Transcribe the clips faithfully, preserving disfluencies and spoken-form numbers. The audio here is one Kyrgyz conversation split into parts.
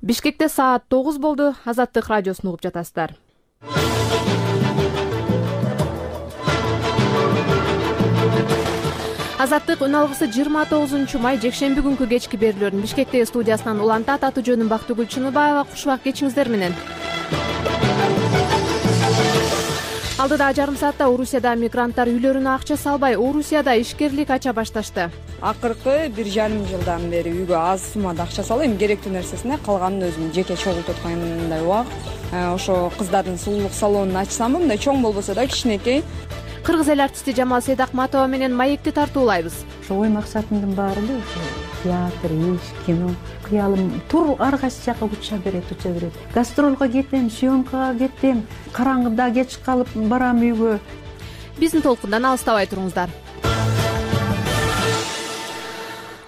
Бишкекте саат тогуз болду. Азаттык радиосун угуп жатасыздар. Азаттык үн алгысы жыйырма тогузунчу май жекшемби күнкү кечки берүүлөрүн Бишкектеги студиясынан улантат. Аты жөнүм Бактыгүл Чыныбаева. Кушубак кечиңиздер менен. Алдыда жарым саатта Орусияда мигранттар үйлөрүнө акча салбай, Орусияда ишкерлик ача башташты. Акыркы бир жарым жылдан бери үйгө аз суммада акча салып, эми керектүү нерсесине калганын өзүм жеке чогултуп аткандай убак. Ошо кыздардын сулуулук салонун ачсам, мындай чоң болбосо да кичинекей. Кыргыз эл артисти Жамал Сейдакматова менен маекти тартуулайбыз. Ошо ой максатымдын баары эле ошо театр, иш, кино. Кыялым тур ар кайсы жака уча берет, уча берет. Гастролго кетем, съемкага кетем, караңгыда кеч калып барам үйгө. Биздин толкундан алыстабай туруңуздар.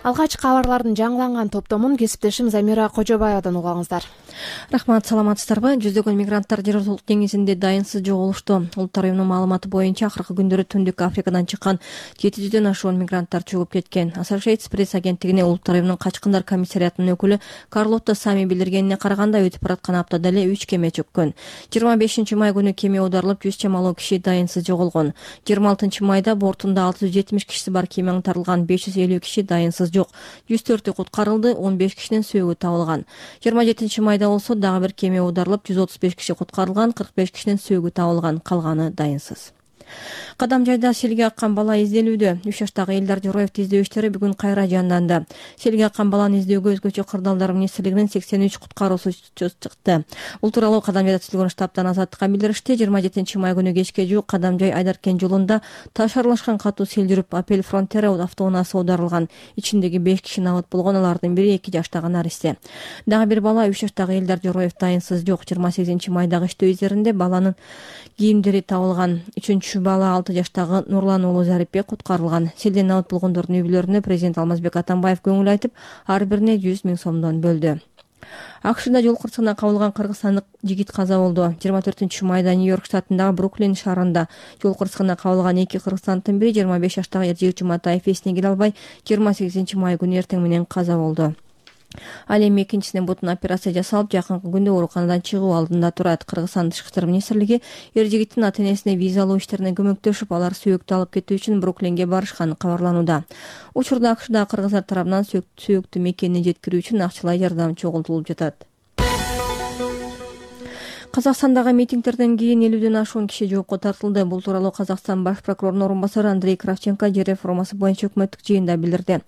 Алгач кабарлардын жаңыланган топтомун кесиптешим Замира Кожобаевадан угаңыздар. Рахмат, саламатсыздарбы? Жүздөгөн мигранттар Жер өлкөлүк деңизинде дайынсыз жоголушту. Улуттар уюмунун маалыматы боюнча акыркы күндөрү Түндүк Африкадан чыккан жети жүздөн ашуун мигранттар чөгүп кеткен. Associated Press агенттигине Улуттар уюмунун качкындар комиссариатынын өкүлү Карлотта Сами билдиргенине караганда, өтүп бараткан аптада эле үч кеме чөккөн. жыйырма бешинчи май күнү кеме оодарылып, жүз чамалуу киши дайынсыз жоголгон. жыйырма алтынчы майда бортунда алты жүз жетимиш кишиси бар кеме аңтарылган, беш жүз элүү киши дайынсыз жок. жүз төртү куткарылды, он беш кишинин сөөгү табылган. жыйырма жетинчи майда болсо дагы бир кеме оодарылып, жүз отуз беш киши куткарылган, кырк беш кишинин сөөгү табылган, калганы дайынсыз. Кадамжайда селге аккан бала изделүүдө. үч жаштагы Элдар Жороевди издөө иштери бүгүн кайра жанданды. Селге аккан баланы издөөгө өзгөчө кырдаалдар министрлигинин сексен үч куткаруусу чыкты. Бул тууралуу Кадамжайда түзүлгөн штабтан Азаттыкка билдиришти. жыйырма жетинчи май күнү кечке жуук Кадамжай Айдаркен жолунда таш аралашкан катуу сел жүрүп, Апел Фронтера автоунаасы оодарылган. Ичиндеги беш киши набыт болгон, алардын бири эки жаштагы наристе. Дагы бир бала үч жаштагы Элдар Жороев дайынсыз жок. жыйырма сегизинчи майдагы иштөө издеринде баланын кийимдери табылган. Үчүнчү бала алты жаштагы Нурлан уулу Зарипбек куткарылган. Селден набыт болгондордун үй бүлөлөрүнө президент Алмазбек Атамбаев көңүл айтып, ар бирине жүз миң сомдон бөлдү. АКШда жол кырсыгына кабылган кыргызстандык жигит каза болду. жыйырма төртүнчү майда Нью-Йорк штатындагы Бруклин шаарында жол кырсыгына кабылган эки кыргызстандын бири жыйырма беш жаштагы Эржигит Жуматаев эсине келе албай, жыйырма сегизинчи май күнү эртең менен каза болду. Ал эми экинчисине бутун операция жасалып, жакынкы күндө ооруканадан чыгуу алдында турат. Кыргызстан Тышкы иштер министрлиги Эржигиттин ата-энесине виза алуу иштерине көмөктөшүп, алар сөөктү алып кетүү үчүн Бруклинге барышканы кабарланууда. Учурда АКШда кыргыздар тарабынан сөөктү мекенине жеткирүү үчүн акчалай жардам чогултулуп жатат. Казакстандагы митингдерден кийин элүүдөн ашуун киши жоопко тартылды. Бул тууралуу Казакстан баш прокурорунун орун басары Андрей Кравченко жер реформасы боюнча өкмөттүк жыйында билдирди.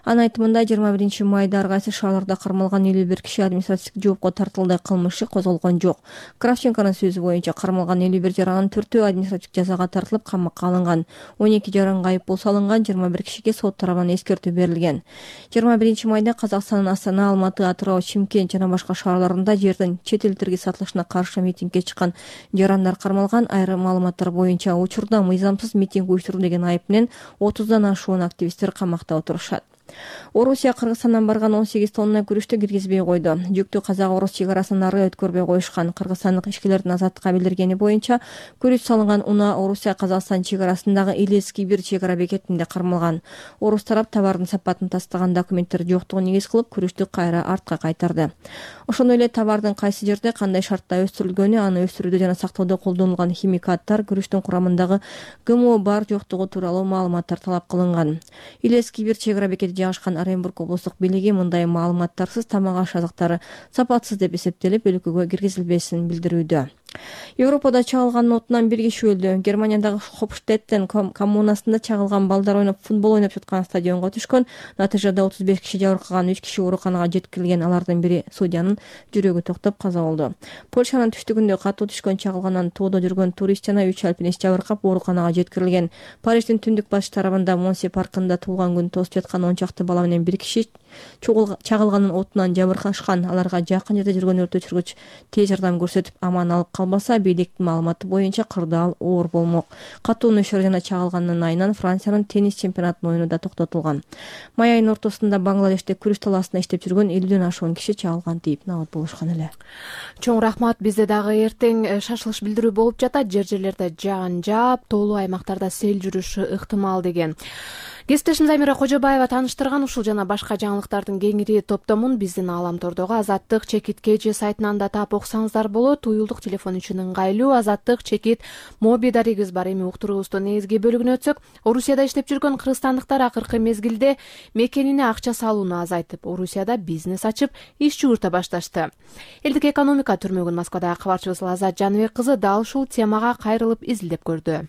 Анын айтымында жыйырма биринчи майда ар кайсы шаарларда кармалган элүү бир киши административдик жоопко тартылды, кылмыш козголгон жок. Кравченконун сөзү боюнча кармалган элүү бир жаранын төртөө административдик жазага тартылып, камакка алынган. он эки жаранга айыппул салынган, жыйырма бир кишиге сот тарабынан эскертүү берилген. жыйырма биринчи майда Казакстандын Астана, Алматы, Атырау, Чимкент жана башка шаарларында жердин чет элдерге сатылышына каршы митингге чыккан жарандар кармалган. Айрым маалыматтар боюнча учурда мыйзамсыз митинг уюштуруу деген айып менен отуздан ашуун активисттер камакта отурушат. Орусия Кыргызстандан барган он сегиз тонна күрүштү киргизбей койду. Жүктү казак-орус чек арасынан ары өткөрбөй коюшкан. Кыргызстандык ишкерлердин Азаттыкка билдиргени боюнча, күрүч салынган унаа Орусия Казакстан чек арасындагы Илецкий бир чек ара бекетинде кармалган. Орус тарап товардын сапатын тастаган документтер жоктугун негиз кылып, күрүштү кайра артка кайтарды. Ошондой эле товардын кайсы жерде кандай шартта өстүрүлгөнү, аны өстүрүүдө жана сактоодо колдонулган химикаттар, күрүштүн курамындагы ГМО бар жоктугу тууралуу маалыматтар талап кылынган. Илецкий бир чек ара бекети жайгашкан Оренбург облустук бийлиги мындай маалыматтарсыз тамак аш азыктары сапатсыз деп эсептелип, өлкөгө киргизилбесин билдирүүдө. Европада чагылган отунан бир киши өлдү. Германиядагы Хопштеттен коммунасында чагылган балдар ойноп футбол ойноп жаткан стадионго түшкөн. Натыйжада отуз беш киши жабыркаган, үч киши ооруканага жеткирилген. Алардын бири судьянын жүрөгү токтоп каза болду. Польшанын түштүгүндө катуу түшкөн чагылгандан тоодо жүргөн турист жана үч альпинист жабыркап ооруканага жеткирилген. Париждин түндүк батыш тарабында Монсе паркында туулган күн тосуп жаткан он чакты бала менен бир киши чагылганын отунан жабыркашкан. Аларга жакын жерде жүргөн өрт өчүргүч тез жардам көрсөтүп, аман алып калбаса бийликтин маалыматы боюнча кырдаал оор болмок. Катуу нөшөр жана чагылгандын айынан Франциянын теннис чемпионатынын оюну да токтотулган. Май айынын ортосунда Бангладеште күрөш талаасында иштеп жүргөн элүүдөн ашуун киши чагылган дейт набат болушкан эле. Чоң рахмат. Бизде дагы эртең шашылыш билдирүү болуп жатат. Жер жерлерде жаан жаап, тоолуу аймактарда сел жүрүшү ыктымал деген. Кесиптешим Замира Кожобаева тааныштырган ушул жана башка жаңылыктардын кеңири топтомун биздин Ааламтордогу Азаттык чекит кж сайтынан да таап окусаңыздар болот. Уюлдук телефон үчүн ыңгайлуу Азаттык чекит моби дарегибиз бар. Эми уктуруубуздун негизги бөлүгүнө өтсөк, Орусияда иштеп жүргөн кыргызстандыктар акыркы мезгилде мекенине акча салууну азайтып, Орусияда бизнес ачып, иш чугурта башташты. Элдик экономика түрмөгүн Москвадагы кабарчыбыз Азат Жаныбек кызы дал ушул темага кайрылып изилдеп көрдү.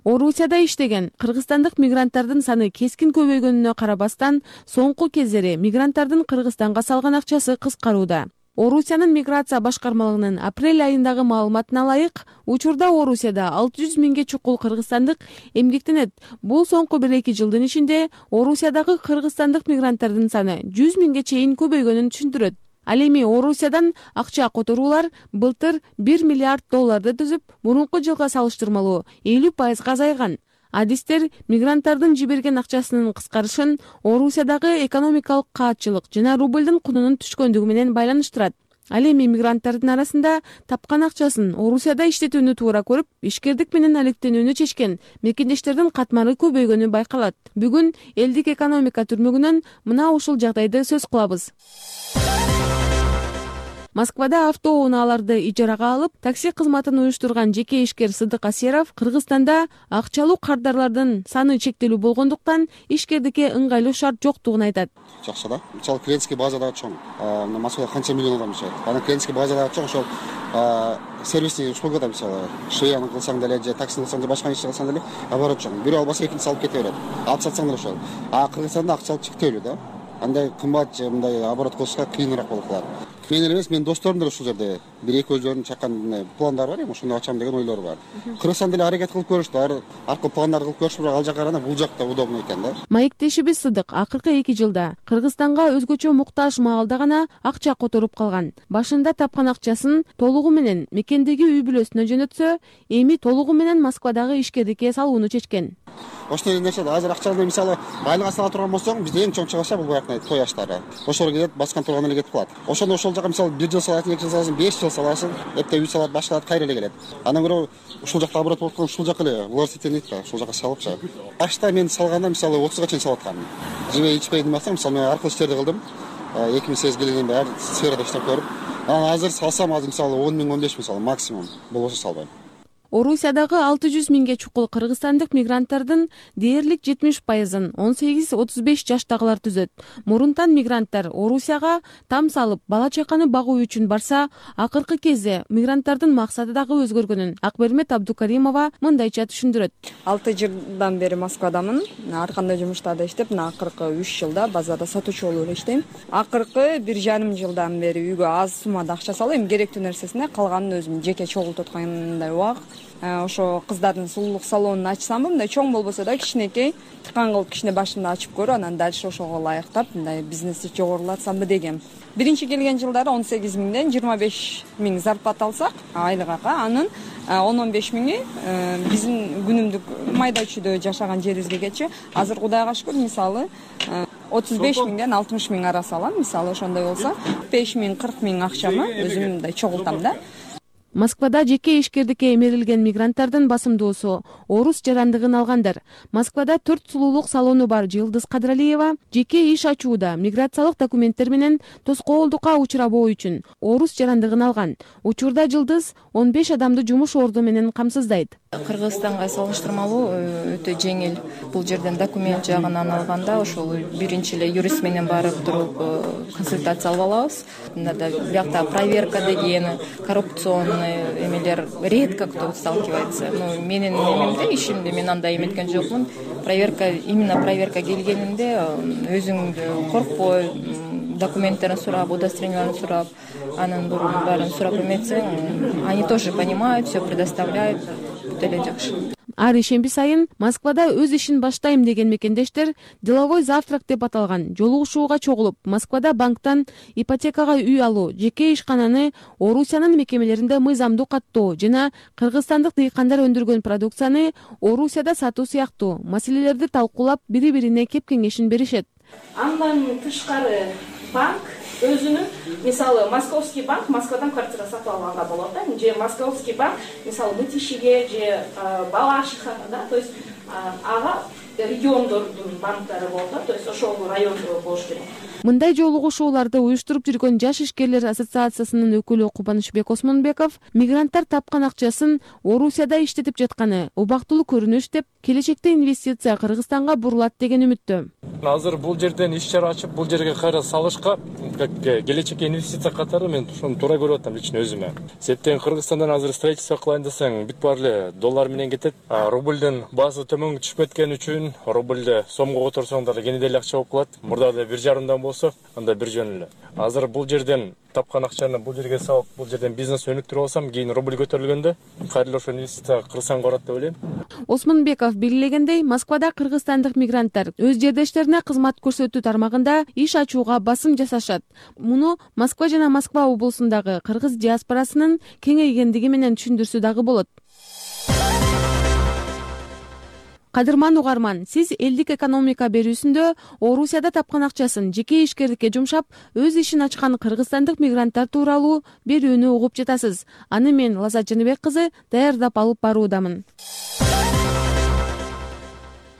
Орусияда иштеген кыргызстандык мигранттардын саны кескин көбөйгөнүнө карабастан, соңку кездери мигранттардын Кыргызстанга салган акчасы кыскарууда. Орусиянын миграция башкармалыгынын апрель айындагы маалыматына ылайык, учурда Орусияда алты жүз миңге чукул кыргызстандык эмгектенет. Бул соңку бир эки жылдын ичинде Орусиядагы кыргызстандык мигранттардын саны жүз миңге чейин көбөйгөнүн түшүндүрөт. Ал эми Орусиядан акча которуулар былтыр бир миллиард долларды түзүп, мурунку жылга салыштырмалуу элүү пайызга азайган. Адистер мигранттардын жиберген акчасынын кыскарышын Орусиядагы экономикалык каатчылык жана рублдун кунунун түшкөндүгү менен байланыштырат. Ал эми мигранттардын арасында тапкан акчасын Орусияда иштетүүнү туура көрүп, ишкердик менен алектенүүнү чечкен мекендештердин катмары көбөйгөнү байкалат. Бүгүн элдик экономика түрмөгүнөн мына ушул жагдайды сөз кылабыз. Москвада автоунааларды ижарага алып, такси кызматын уюштурган жеке ишкер Сыдык Асеров Кыргызстанда акчалуу кардарлардын саны чектелүү болгондуктан ишкердикке ыңгайлуу шарт жоктугун айтат. Жакшы да. Мисалы клиентский базадагы чоң. Москвада канча миллион адам жашайт. Анан клиентский базадагы чоң ошол сервисный услугада мисалы швеяны кылсаң деле же таксини кылсаң же башка ишти кылсаң деле оборот чоң. Бирөө албаса экинчиси алып кете берет. Алып сатсаң деле ошол. А Кыргызстанда акчалык чектелүү да. Андай кымбат же мындай оборот кылышка кыйыныраак болуп калат. Мен эле эмес, менин досторум деле ушул жерде бир эки өздөрүнүн чаккан пландары бар, эми ошондо ачам деген ойлор бар. Кыргызстан деле аракет кылып көрүштү, аркы пландар кылып көрүштү, бирок ал жака караганда бул жакта удобно экен да. Маектешибиз Сыдык акыркы эки жылда Кыргызстанга өзгөчө муктаж маалда гана акча которуп калган. Башында тапкан акчасын толугу менен мекендеги үй бүлөсүнө жөнөтсө, эми толугу менен Москвадагы ишкердикке салууну чечкен. Ошондой нерсе азыр акчаны мисалы айылга сала турган болсоң, бизде эң чоң чыгыша бул баягы той аштары. Ошол кетет, баскан турган эле кетип калат. Ошондо ошол жака мисалы бир жыл саласың, эки жыл саласың, беш жыл саласың, эптеп үй салат, башкалат кайра эле келет. Андан көрө ушул жакта оборот болуп калган, ушул жака эле властитель дейт да, ушул жака салыпчы. Башта мен салганда мисалы отузга чейин салып аткам. Жебей ичпей демесем, мисалы мен аркылуу иштерди кылдым. эки миң сегиз келгенден бери ар сферада иштеп көрүп, анан азыр салсам, азыр мисалы он миң он беш миң салам максимум. Болбосо салбайм. Орусиядагы алты жүз миңге чукул кыргызстандык мигранттардын дээрлик жетимиш пайызын он сегиз отуз беш жаштагылар түзөт. Мурунтан мигранттар Орусияга там салып, бала чаканы багуу үчүн барса, акыркы кезде мигранттардын максаты дагы өзгөргөнүн Акбермет Абдукаримова мындайча түшүндүрөт. алты жылдан бери Москвадамын. Ар кандай жумуштарда иштеп, мына акыркы үч жылда базарда сатуучу болуп эле иштейм. Акыркы бир жарым жылдан бери үйгө аз суммада акча салып, эми керектүү нерсесине калганын өзүм жеке чогултуп аткандай убак. Ошо кыздардын сулуулук салонун ачсам, мындай чоң болбосо да кичинекей тыкан кылып кичине башымда ачып көрүп, анан дальше ошого ылайыктап мындай бизнести жогорулатсамбы дегем. Биринчи келген жылдары он сегиз миңден жыйырма беш миң зарплата алсак, айлык акы, анын он он беш миңи биздин күнүмдүк майда чүйдө жашаган жерибизге кетчү. Азыр Кудайга шүкүр, мисалы отуз беш миңден алтымыш миң арасы алам. Мисалы ошондой болсо беш миң кырк миң акчамы өзүм мындай чогултам да. Москвада жеке ишкердикке эмерилген мигранттардын басымдуусу орус жарандыгын алгандар. Москвада төрт сулуулук салону бар Жылдыз Кадралиева жеке иш ачууда миграциялык документтер менен тоскоолдукка учурабоо үчүн орус жарандыгын алган. Учурда Жылдыз он беш адамды жумуш орду менен камсыздайт. Кыргызстанга салыштырмалуу өтө жеңил. Бул жерден документ жагынан алганда ошол биринчи эле юрист менен барып туруп консультация алып алабыз. Мында биякта проверка деген, коррупционный эмелер редко кто сталкивается. Ну, менин эмемде, ишимде мен андай эметкен жокмун. Проверка, именно проверка келгенинде өзүңдү коркпой, документтерин сурап, удостоверенияларын сурап, анын баарын сурап эметсең, они тоже понимают, все предоставляют. Жакшы. ар ишемби сайын Москвада өз ишин баштайм деген мекендештер деловой завтрак деп аталган жолугушууга чогулуп, Москвада банктан ипотекага үй алуу, жеке ишкананы Орусиянын мекемелеринде мыйзамдуу каттоо жана кыргызстандык дыйкандар өндүргөн продукцияны Орусияда сатуу сыяктуу маселелерди талкуулап, бири-бирине кеп кеңешин беришет. Андан тышкары банк өзүнүн, мисалы, Московский банк Москвадан квартира сатып алганга болот да, же Московский банк, мисалы, Мытищиге же Балашихага, да, то есть ага региондордун банктары болот да, то есть ошол райондо болуш керек. Мындай жолугушууларды уюштуруп жүргөн Жаш ишкерлер ассоциациясынын өкүлү Кубанычбек Осмонбеков мигранттар тапкан акчасын Орусияда иштетип жатканы убактылуу көрүнүш деп, келечекте инвестиция Кыргызстанга бурулат деген үмүттө. Азыр бул жерден иш чара ачып, бул жерге кайра салышка, келечекке инвестиция катары мен ошону туура көрүп атам лично өзүмө. Септен Кыргызстандан азыр строительство кылайын десең, бүт баары эле доллар менен кетет. Рубльдин баасы төмөнгө түшүп кеткени үчүн рубльди сомго которсоңдар кенеде эле акча болуп калат. Мурда эле бир жарымдан болсо, анда бир жөн эле. Азыр бул жерден тапкан акчаны бул жерге салып, бул жерден бизнес өнүктүрүп алсам, кийин рубль көтөрүлгөндө кайра ошо инвестиция Кыргызстанга барат деп ойлойм. Осмонбеков белгилегендей, Москвада кыргызстандык мигранттар өз жердештерине кызмат көрсөтүү тармагында иш ачууга басым жасашат. Муну Москва жана Москва облусундагы кыргыз диаспорасынын кеңейгендиги менен түшүндүрсө дагы болот. Кадырман угарман, сиз элдик экономика берүүсүндө Орусияда тапкан акчасын жеке ишкердикке жумшап, өз ишин ачкан кыргызстандык мигранттар тууралуу берүүнү угуп жатасыз. Аны мен Лазат Жаныбек кызы даярдап алып баруудамын.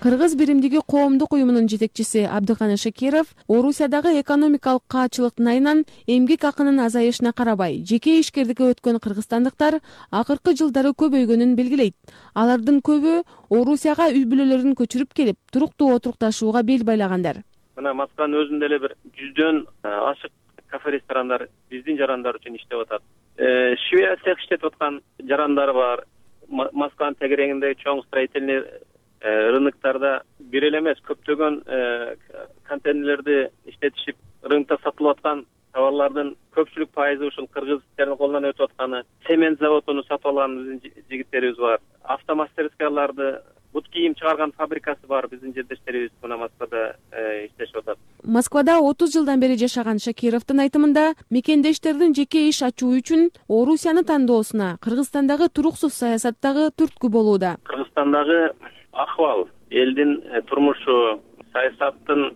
Кыргыз биримдиги коомдук уюмунун жетекчиси Абдыканы Шакиров Орусиядагы экономикалык каачылыктын айынан эмгек акынын азайышына карабай, жеке ишкердикке өткөн кыргызстандыктар акыркы жылдары көбөйгөнүн белгилейт. Алардын көбү Орусияга үй бүлөлөрүн көчүрүп келип, туруктуу отурукташууга бел байлагандар. Мына Москванын өзүндө эле бир жүздөн ашык кафе-ресторандар биздин жарандар үчүн иштеп атат. Швея цех иштетип аткан жарандар бар. Москванын тегерегинде чоң строительный рыноктарда бир эле эмес, көптөгөн контейнерлерди иштетишип, рынокто сатылып аткан товарлардын көпчүлүк пайызы ушул кыргыздын колунан өтүп атканы. Цемент заводун сатып алган биздин жигиттерибиз бар. Автомастерскияларды, бут кийим чыгарган фабрикасы бар биздин жердештерибиз мына Москвада иштешип атат. Москвада отуз жылдан бери жашаган Шакировдун айтымында, мекендештердин жеке иш ачуу үчүн Орусияны тандоосуна Кыргызстандагы туруксуз саясаттагы түрткү болууда. Кыргызстандагы акыбал, элдин турмушу, саясаттын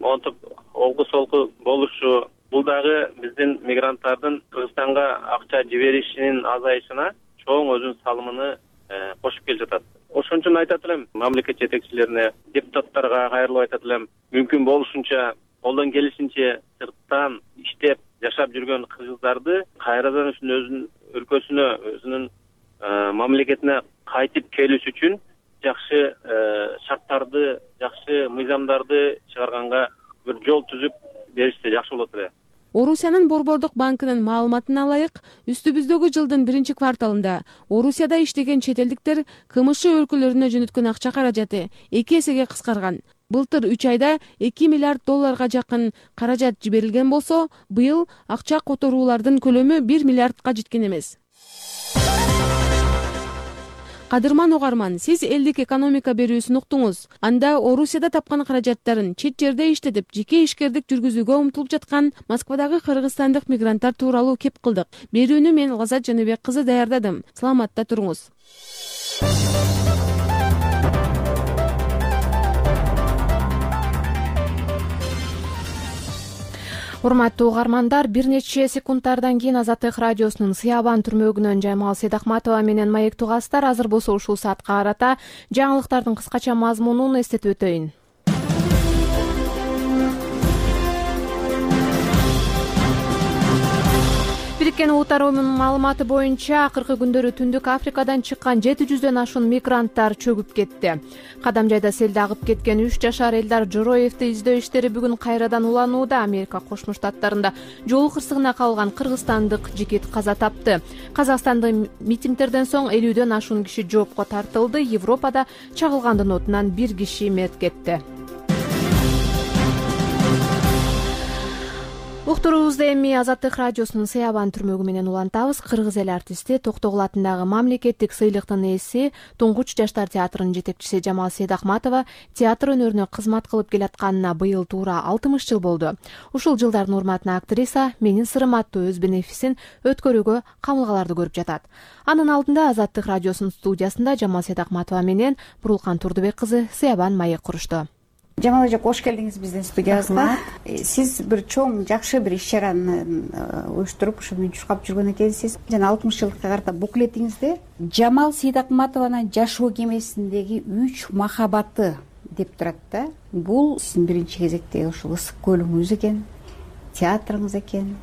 монтуп олгу солку болушу, бул дагы биздин мигранттардын Кыргызстанга акча жиберишинин азайышына чоң өзүнүн салымын кошуп келе жатат. Ошон үчүн айтат элем мамлекет жетекчилерине, депутаттарга кайрылып айтат элем, мүмкүн болушунча, колдон келишинче сырттан иштеп жашап жүргөн кыргыздарды кайрадан өзүнүн өлкөсүнө, өзүнүн мамлекетине кайтып келиш үчүн жакшы шарттарды, жакшы мыйзамдарды чыгарганга бир жол түзүп беришсе жакшы болот эле. Орусиянын Борбордук банкынын маалыматына ылайык, үстүбүздөгү жылдын биринчи кварталында Орусияда иштеген чет элдиктер КМШ өлкөлөрүнө жөнөткөн акча каражаты эки эсеге кыскарган. Былтыр үч айда эки миллиард долларга жакын каражат жиберилген болсо, быйыл акча которуулардын көлөмү бир миллиардка жеткен эмес. Кадырман угарман, сиз элдик экономика берүүсүн уктуңуз. Анда Орусияда тапкан каражаттарын чет жерде иштетип, жеке ишкердик жүргүзүүгө умтулуп жаткан Москвадагы кыргызстандык мигранттар тууралуу кеп кылдык. Берүүнү мен Лазат Жаныбек кызы даярдадым. Саламатта туруңуз. Урматтуу угармандар, бир нече секундтардан кийин Азаттык радиосунун Сыябан түрмөгүнөн Жаймал Сейдахматова менен Маек Тугастар азыр болсо ушул саатка карата жаңылыктардын кыскача мазмунун эстетип өтөйүн. Бириккен Улуттар Уюмунун маалыматы боюнча акыркы күндөрү Түндүк Африкадан чыккан жети жүздөн ашуун мигранттар чөгүп кетти. Кадамжайда селде агып кеткен үч жашар Элдар Жороевди издөө иштери бүгүн кайрадан уланууда. Америка Кошмо Штаттарында жол кырсыгына калган кыргызстандык жигит каза тапты. Казакстандын митингдерден соң элүүдөн ашуун киши жоопко тартылды. Европада чагылгандын отунан бир киши мерт кетти. уктуруубузду эми Азаттык радиосунун Сыябан түрмөгү менен улантабыз. Кыргыз эл артисти Токтогул атындагы мамлекеттик сыйлыктын ээси, Туңгуч жаштар театрынын жетекчиси Жамал Сейдахматова театр өнөрүнө кызмат кылып келатканына быйыл туура алтымыш жыл болду. Ушул жылдардын урматына актриса Менин сырым аттуу өз бенефисин өткөрүүгө камылгаларды көрүп жатат. Анын алдында Азаттык радиосунун студиясында Жамал Сейдахматова менен Бурулкан Турдубек кызы Сыябан маек курушту. Жамал эже, кош келдиңиз биздин студиябызга. Сиз бир чоң, жакшы бир иш-чараны уюштуруп, ушу мүнчүркап жүргөн экенсиз. Жана алтымыш жылдыкка карата буклетиңизде Жамал Сейдахматованын жашоо кемесиндеги үч махабаты деп турат да. Бул сиздин биринчи кезекте ушул ысык көлүңүз экен, театрыңыз экен,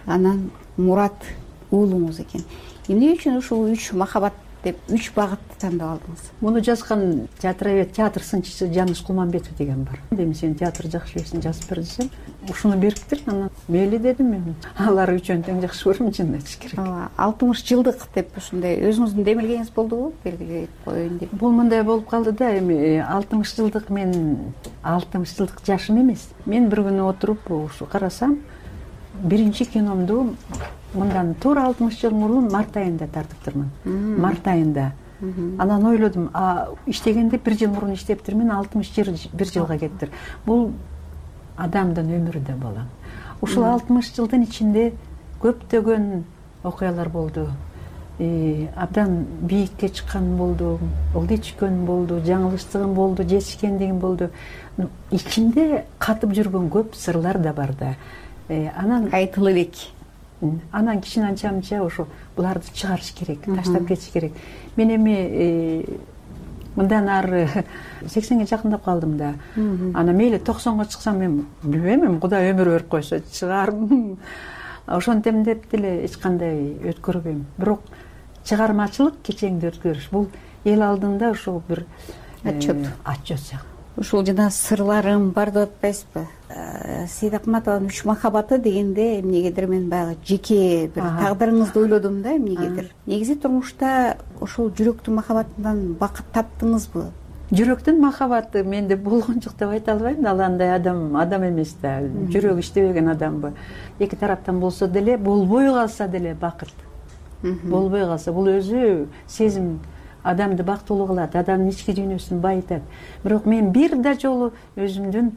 анан Мурат уулуңуз экен. Эмне үчүн ушул үч махабат деп үч багытты тандап алдыңыз? Муну жазган театровед, театр сынчысы Жаныш Кулманбетов деген бар. Эми сен театр жакшы билесиң, жазып бер десем, ушуну бериптир. Анан мейли дедим мен. Алар үчөөнү тең жакшы көрөм, чынын айтыш керек. алтымыш жылдык деп ушундай өзүңүздүн демилгениңиз болдубу? Белгилеп коеюн деп. Бул мындай болуп калды да, эми алтымыш жылдык мен алтымыш жылдык жашым эмес. Мен бир күнү отуруп ушу карасам, биринчи киномду мындан туура алтымыш жыл мурун март айында тартыптырмын. Март айында. Анан ойлодум, а иштегенде бир жыл мурун иштептирмин, алтымыш бир жылга кеттир. Бул адамдын өмүрү да болот. Ушул алтымыш жылдын ичинде көптөгөн окуялар болду. Абдан бийикке чыккан болду, ылдый түшкөн болду, жаңылыштыгым болду, жетишкендигим болду. Ичинде катып жүргөн көп сырлар да бар да. Анан айтылып элек. Анан кичине анча мынча ошо буларды чыгарыш керек, таштап кетиш керек. Мен эми мындан ары сексенге жакындап калдым да. Анан мейли токсонго чыксам мен билбейм, эми Кудай өмүр берип койсо чыгармын. Ошентем деп деле эч кандай өткөрбөйм. Бирок чыгармачылык кечеңди өткөрүш бул эл алдында ошол бир отчет. Отчет. Ушул жана сырларым бар деп атпайсызбы? Сейдахматованын үч махабаты дегенде эмнегедир мен баягы жеке бир тагдырыңызды ойлодум да, эмнегедир. Негизи турмушта ошол жүрөктүн махабатынан бакыт таптыңызбы? Жүрөктүн махабаты менде болгон жок деп айта албайм да, ал андай адам, адам эмес да, жүрөгү иштебеген адамбы. Эки тараптан болсо деле, болбой калса деле бакыт. Болбой калса бул өзү сезим адамды бактылуу кылат, адамдын ички дүйнөсүн байытат. Бирок мен бир да жолу өзүмдүн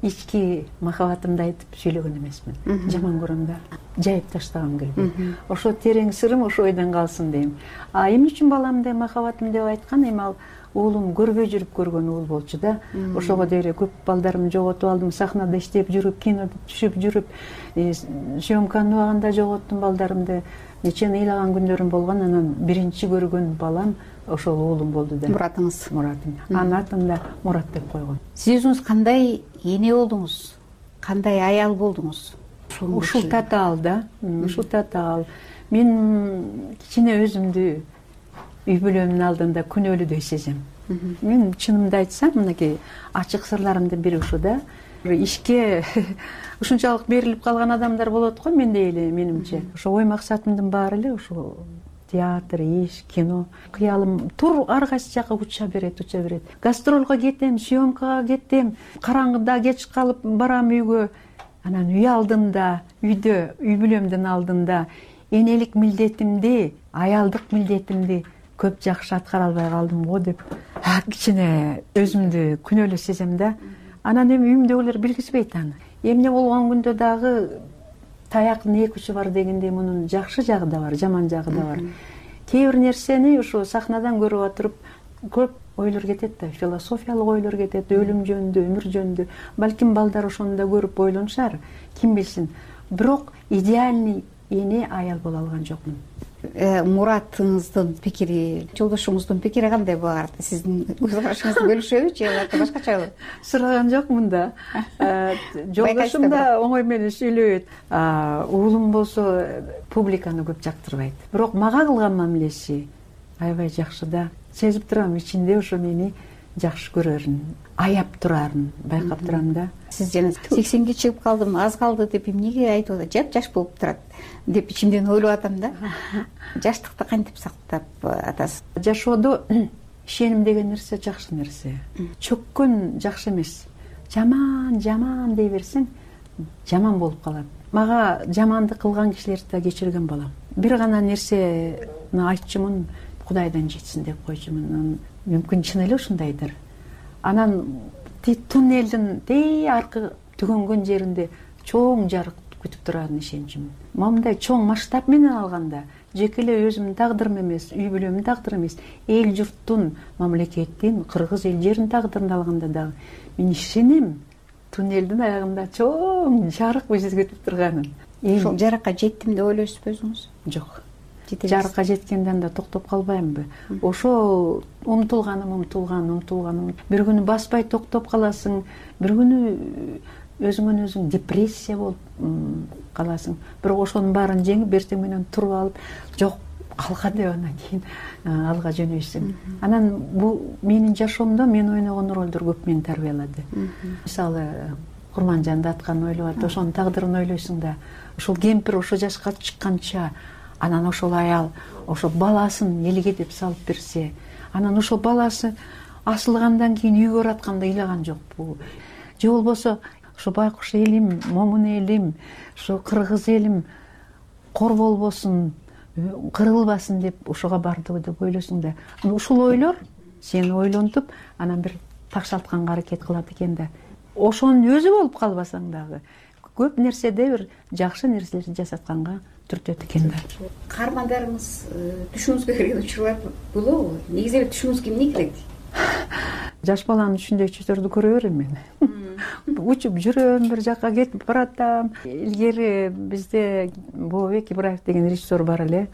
ички махабатымды айтып сүйлөгөн эмесмин. Жаман көрөм да, жайып таштагым келбейт. Ошо терең сырым ошо ойдон калсын дейм. А эмне үчүн баламды махабатым деп айткан, эми ал уулум көрбөй жүрүп көргөн уул болчу да. Ошого деле көп балдарымды жоготуп алдым, сахнада иштеп жүрүп, кинода түшүп жүрүп, съемканын убагында жоготтум балдарымды. Нече ыйлаган күндөрүм болгон. Анан биринчи көргөн балам ошол уулум болду да. Муратыңыз. Муратым. Анын атын да Мурат деп койгон. Сиз өзүңүз кандай эне болдуңуз? Кандай аял болдуңуз? Ушул татаал да. Ушул татаал. Мен кичине өзүмдү үй бүлөмдүн алдында күнөөлүүдөй сезем. Мен чынымды айтсам, мынакей ачык сырларымдын бири ушу да. Ишке ушунчалык берилип калган адамдар болот го мендей эле, менимче. Ошо ой максатымдын баары эле ушул театр, иш, кино. Кыялым тур ар кайсы жака уча берет, уча берет. Гастролго кетем, съемкага кетем, караңгыда кеч калып барам үйгө. Анан үй алдында, үйдө, үй бүлөмдүн алдында энелик милдетимди, аялдык милдетимди көп жакшы аткара албай калдым го деп кичине өзүмдү күнөөлүү сезем да. Анан эми үйүмдөгүлөр билгизбейт аны. Эмне болгон күндө дагы таяктын эки учу бар дегендей мунун жакшы жагы да бар, жаман жагы да бар. Кээ бир нерсени ошо сахнадан көрүп отуруп көп ойлор кетет да, философиялык ойлор кетет, өлүм жөнүндө, өмүр жөнүндө. Балким балдар ошону да көрүп ойлонушар, ким билсин. Бирок идеальный эне аял боло алган жокмун. Муратыңыздын пикири, жолдошуңуздун пикири кандай булар? Сиздин көз карашыңызды бөлүшөбү же башкачабы? Сураган жокмун да. Жолдошум да оңой менен сүйлөйт. Уулум болсо публиканы көп жактырбайт. Бирок мага кылган мамилеси аябай жакшы да. Сезип турам, ичинде ошо мени жакшы көрөрүн, аяп турарын байкап турам да. Сиз жана сексенге чыгып калдым, аз калды деп эмнеге айтып атат? Жап жаш болуп турат деп ичимден ойлоп атам да. Жаштыкты кантип сактап атасыз? Жашоодо ишеним деген нерсе жакшы нерсе. Чөккөн жакшы эмес. Жаман, жаман дей берсең, жаман болуп калат. мага жамандык кылган кишилерди да кечирген балам. Бир гана нерсени айтчумун, Кудайдан жетсин деп койчумун. Мүмкүн чын эле ушундайдыр. Анан туннелдин тээ аркы түгөнгөн жеринде чоң жарык күтүп турарын ишенчүмүн. Момундай чоң масштаб менен алганда жеке эле өзүмдүн тагдырым эмес, үй бүлөмдүн тагдыры эмес, эл журттун, мамлекеттин, кыргыз эл жеринин тагдырын алганда дагы мен ишенем туннелдин аягында чоң жарык бизди күтүп турганын. Ошол жарыкка жеттим деп ойлойсузбу өзүңүз? Жок. Жарыкка жеткенден да токтоп калбаймынбы? Ошол умтулганым, умтулган, умтулганым. Бир күнү баспай токтоп каласың, бир күнү өзүңөн өзүң депрессия болуп каласың. Бирок ошонун баарын жеңип, эртең менен туруп алып, жок, калка деп анан кийин алга жөнөйсүң. Анан бул менин жашоомдо мен ойногон ролдор көп мени тарбиялады. Мисалы, Курманжанды аткан ойлоп атып, ошонун тагдырын ойлойсуң да, ошол кемпир ошо жашка чыкканча, анан ошол аял ошо баласын элге деп салып берсе, анан ошол баласы асылгандан кийин үйгө баратканда ыйлаган жокпу? Же болбосо ошо байкуш элим, момун элим, ошо кыргыз элим кор болбосун, кырылбасын деп ошого бардыбы деп ойлойсуң да. Ушул ойлор сени ойлонтуп, анан бир такшалтканга аракет кылат экен да. Ошонун өзү болуп калбасаң дагы көп нерседе бир жакшы нерселерди жасатканга түртөт экен да. Каармандарыңыз түшүңүзгө кирген учурлар болобу? Негизи эле түшүңүзгө эмне кирет? Жаш баланын түшүндөй түштөрдү көрө берем мен. Учуп жүрөм, бир жака кетип баратам. Илгери бизде Бообек Ибраев деген режиссер бар эле.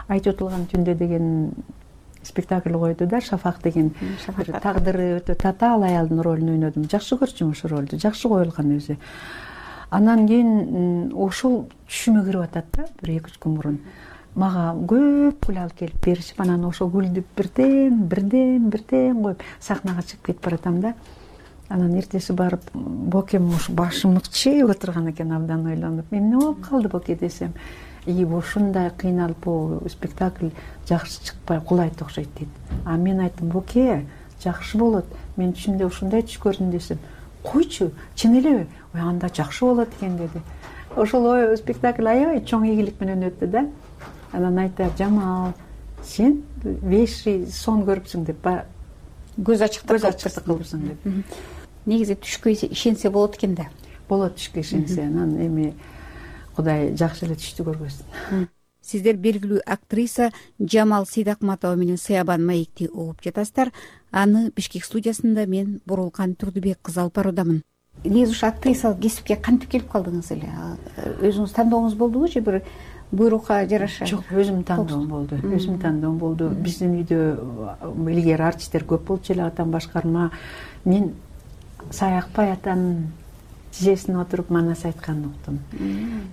Айтып отулган түндө деген спектакль койду да, Шафак деген. Тагдыры өтө татаал аялдын ролун ойнодум. Жакшы көрчүм ошол ролду, жакшы коюлган өзү. Анан кийин ошол түшүмө кирип атат да, бир эки үч күн мурун. Мага көп гүл алып келип беришип, анан ошол гүлдү бирден, бирден, бирден коюп сахнага чыгып кетип баратам да. Анан эртеси барып, Бокем ушу башым ыкчыйып отурган экен, абдан ойлонуп. Эмне болуп калды Боке десем, и ушундай кыйналып бул спектакль жакшы чыкпай кулайт окшойт дейт. А мен айттым, Боке, жакшы болот. Мен түшүмдө ушундай түш көрдүм десем, койчу, чын элеби? Ой, анда жакшы болот экен деди. Ошол ой спектакль аябай чоң ийгилик менен өттү да. Анан айтат, Жамал, сен веши сон көрүпсүң деп, көз ачыктык кылыпсың деп. Негизи түшкө ишенсе болот экен да. Болот түшкө ишенсе, анан эми Кудай жакшы эле түштү көргөзсүн. Сиздер белгилүү актриса Жамал Сейдакматова менен Сыябан маекти угуп жатасыздар. Аны Бишкек студиясында мен Бурулкан Турдубек кызы алып баруудамын. Негизи ушу актрисалык кесипке кантип келип калдыңыз эле? Өзүңүз тандооңуз болдубу же бир буйрукка жараша? Жок, өзүм тандоом болду. Өзүм тандоом болду. Биздин үйдө илгери артисттер көп болчу эле, атам башкарма. Мен Саякбай атанын тизесине отуруп манас айтканын уктум.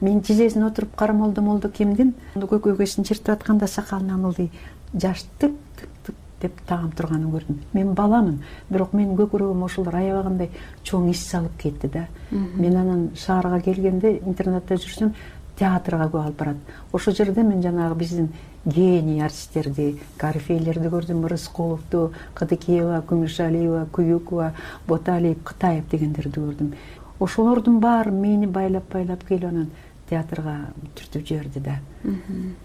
Мен тизесине отуруп карамолду молду кимдин көкөйгөсүн чертип атканда сакалынан ылдый жаш тык тык тык деп тагып турганын көрдүм. Мен баламын, бирок менин көкүрөгүм ошолор аябагандай чоң ис салып кетти да. Мен анан шаарга келгенде, интернатта жүрсөм, театрга көп алып барат. Ошол жерде мен жанагы биздин гений артисттерди, Карифейлерди көрдүм, Рыскуловду, Кадыкеева, Күмүшалиева, Куюкова, Боталиев, Кытаев дегендерди көрдүм. Ошолордун баары мени байлап-байлап келип анан театрга түртүп жиберди да.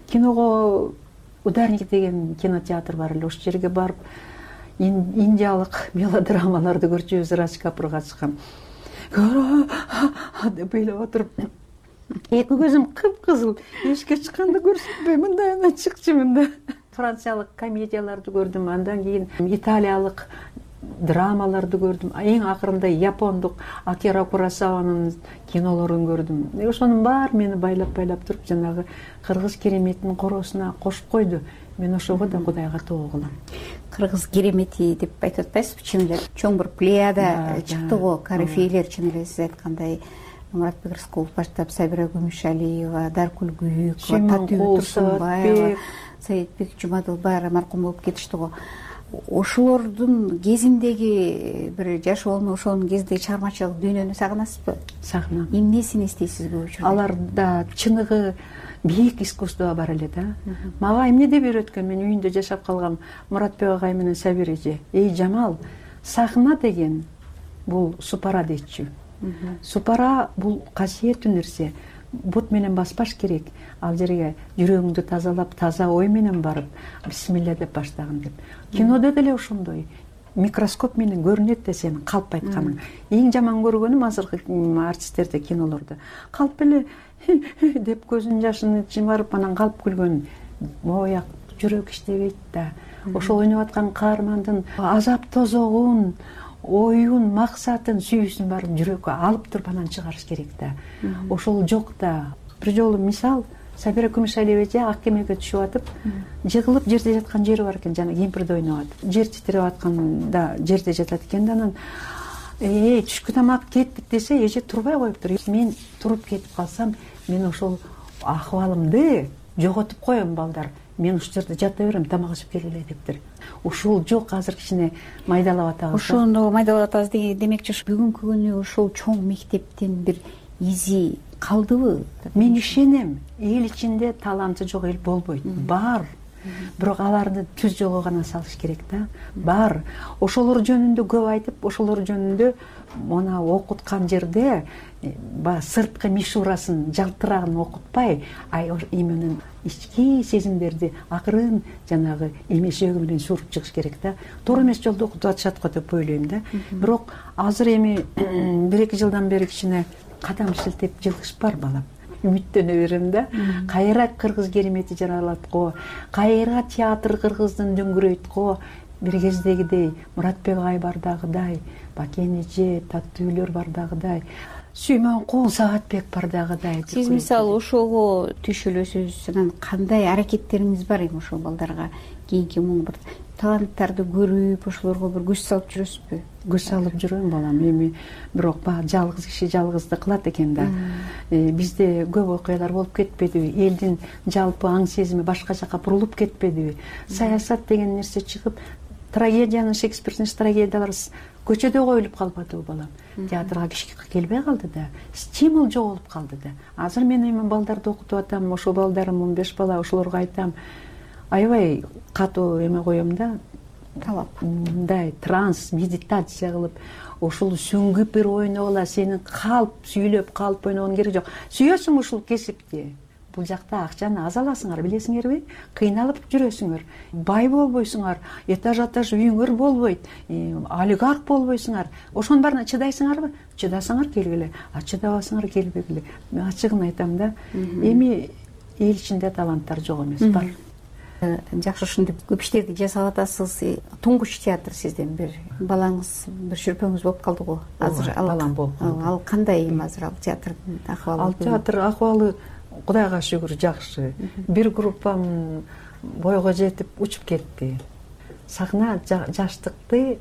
Киного Ударник деген кинотеатр бар эле, ошол жерге барып индиялык мелодрамаларды көрчүбүз, Радж Капур катышкан. Деп ыйлап отуруп, эки көзүм кыпкызыл, эшикке чыкканды көрсөтпөй мындай анан чыкчумун да. Франциялык комедияларды көрдүм, андан кийин италиялык драмаларды көрдүм. Эң акырында япондук Акира Куросаванын кинолорун көрдүм. Ошонун баары мени байлап-байлап туруп, жанагы кыргыз кереметинин коросуна кошуп койду. Мен ошого да Кудайга тоо кылам. Кыргыз керемети деп айтып атпайсызбы? Чын эле чоң бир плеяда чыкты го, Карифейлер, чын эле сиз айткандай. Муратбек Рыскулов баштап, Сабира Күмүшалиева, Даркүл Күйүкова, Татуу Турсунбаева, Саидбек Жумадыл баары маркум болуп кетишти го. Ошолордун кезиндеги бир жашоону, ошонун кезиндеги чыгармачылык дүйнөнү сагынасызбы? Сагынам. Эмнесин эстейсиз көп учурда? Аларда чыныгы бийик искусство бар эле да. Мага эмне деп үйрөткөн, мен үйүндө жашап калгам Муратбек агай менен Сабир эже. Эй Жамал, сахна деген бул супара дейчү. Супара бул касиеттүү нерсе. бут менен баспаш керек. Ал жерге жүрөгүңдү тазалап, таза ой менен барып, бисмилля деп баштагын деп. Кинодо деле ошондой. Микроскоп менен көрүнөт да сенин калп айтканың. Эң жаман көргөнүм азыркы артисттерде, кинолордо. Калп эле деп көзүнүн жашын чымарып анан калп күлгөн. Мояк жүрөк иштебейт да. Ошол ойноп аткан каармандын азап тозогун, оюн, максатын, сүйүүсүн баарын жүрөккө алып туруп анан чыгарыш керек да. Ошол жок да. Бир жолу мисал, Сабира Күмүшалиева эже ак кемеге түшүп атып, жыгылып жерде жаткан жери бар экен, жана кемпирди ойноп атып. Жер титиреп атканда жерде жатат экен да, анан эй, түшкү тамак кеттик десе, эже турбай коюптур. Мен туруп кетип калсам, мен ошол акыбалымды жоготуп коем, балдар. Мен ушул жерде жата берем, тамак ичип келгиле дептир. Ушул жок, азыр кичине майдалап атабыз. Ошону майдалап атабыз деген демекчи, бүгүнкү күнү ушул чоң мектептен бир изи калдыбы? Мен ишенем, эл ичинде таланты жок эл болбойт. Бар. Бирок аларды түз жолго гана салыш керек да. Бар. Ошолор жөнүндө көп айтып, ошолор жөнүндө мына окуткан жерде сырткы мишурасын, жалтырагын окутпай, ай именно ички сезимдерди акырын жанагы эмешөөгү менен suurуп чыгыш керек да. Туура эмес жолдо окутуп атышат го деп ойлойм да. Бирок азыр эми бир эки жылдан бери кичине кадам шилтеп жылыш бар, балам. Үмүттөнө берем да. Кайра кыргыз керемети жаралат го, кайра театр кыргыздын дөңгүрөйт го. Бир кездегидей Муратбек агай бардагыдай, Бакен эже, Таттуу үйлөр бардагыдай, Сүймөн Кул Саатбек бардагыдай. Сиз мисалы ошого түшүлөсүз, анан кандай аракеттериңиз бар эми ошол балдарга кийинки муң бир таланттарды көрүп, ошолорго бир күч салып жүрөсүзбү? Күч салып жүрөм, балам. Эми бирок баягы жалгыз киши жалгызды кылат экен да. Бизде көп окуялар болуп кетпедиби? Элдин жалпы аң сезими башка жака бурулуп кетпедиби? Саясат деген нерсе чыгып, трагедиянын, Шекспирдин трагедиялары көчөдө коюлуп калбадыбы, балам? Театрга киши келбей калды да. Стимул жоголуп калды да. Азыр мен эми балдарды окутуп атам, ошол балдарым он беш бала, ошолорго айтам, аябай катуу эме коем да, талап. Мындай транс, медитация кылып, ошол сүңгүп бир ойногула, сенин калп сүйлөп, калп ойногон кереги жок. Сүйөсүң ушул кесипти. Бул жакта акчаны аз аласыңар, билесиңерби? Кыйналып жүрөсүңөр. Бай болбойсуңар, этаж этаж үйүңөр болбойт, олигарх болбойсуңар. Ошонун баарына чыдайсыңарбы? Чыдасаңар келгиле, а чыдабасаңар келбегиле. Мен ачыгын айтам да. Эми эл ичинде таланттар жок эмес, бар. Жакшы, ушинтип көп иштерди жасап атасыз. Туңгуч театр сизден бир балаңыз, бир шүрпөңүз болуп калды го. Азыр балам болуп калды. Ал кандай эми азыр ал театрдын акыбалы? Ал театр акыбалы Кудайга шүгүр жакшы. Бир группам бойго жетип учуп кетти. Сахна жаштыкты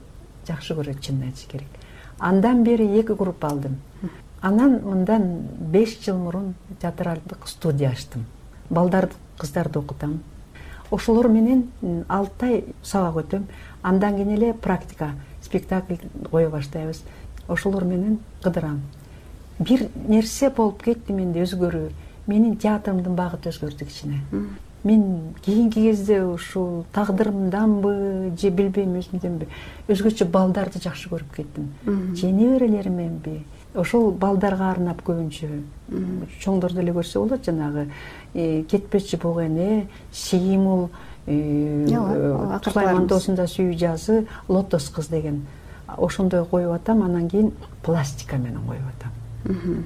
жакшы көрөт, чынын айтыш керек. Андан бери эки группа алдым. Анан мындан беш жыл мурун театралдык студия ачтым. Балдарды, кыздарды окутам. Ошолор менен алты ай сабак өтөм. Андан кийин эле практика, спектакль кое баштайбыз. Ошолор менен кыдырам. Бир нерсе болуп кетти менде, өзгөрүү. Менин театрымдын багыты өзгөрдү кичине. Мен кийинки кезде ушул тагдырымданбы, же билбейм өзүмдөнбү, өзгөчө балдарды жакшы көрүп кеттим. Же неберелеримменби? Ошол балдарга арнап көбүнчө. Чоңдорду эле көрсө болот, жанагы кетпечи буг эне, Сеймул, Сулайман доосунда сүйүү жазы, Лотос кыз деген. Ошондой коюп атам, анан кийин пластика менен коюп атам.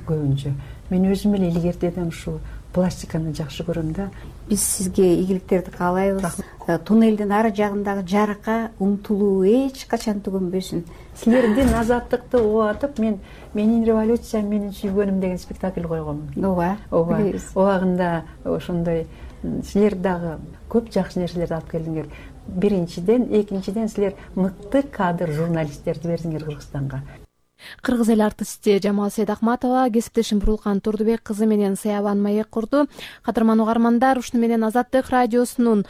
Көбүнчө. Мен өзүм эле илгертедем ушул пластиканы жакшы көрөм да. Биз сизге ийгиликтерди каалайбыз. Туннелдин ары жагындагы жарыкка умтулуу эч качан түгөнбөсүн. Силердин азаттыкты угатып, мен менин революциям, менин сүйгөнүм деген спектакль койгом. Ооба. Ооба. Убагында ошондой силер дагы көп жакшы нерселерди алып келдиңер. Биринчиден, экинчиден силер мыкты кадр журналисттерди бердиңер Кыргызстанга. Кыргыз эл артисти Жамал Сейдахматова кесиптешим Бурулкан Турдубек кызы менен Саябан маек курду. Кадырман угармандар, ушуну менен Азаттык радиосунун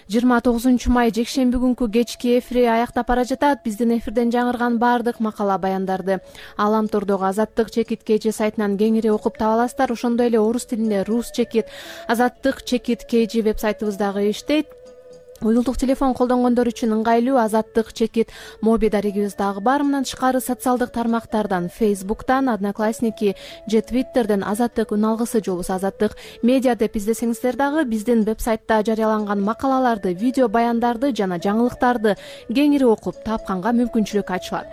жыйырма тогузунчу май жекшемби күнкү кечки эфири аяктап бара жатат. Биздин эфирден жаңырган баардык макала баяндарды Аламтордогу Азаттык чекит kg сайтынан кеңири окуп таба аласыздар. Ошондой эле орус тилинде Рус чекит, Азаттык чекит kg веб сайтыбыздагы иштейт. Уюлдук телефон колдонгондор үчүн ыңгайлуу Азаттык чекит моби дарегибиз дагы бар. Мындан тышкары социалдык тармактардан Facebook'тан, Одноклассники же Twitter'ден Азаттык үн алгысы же болбосо Азаттык медиа деп издесеңиздер дагы биздин вебсайтта жарыяланган макалаларды, видео баяндарды жана жаңылыктарды кеңири окуп тапканга мүмкүнчүлүк ачылат.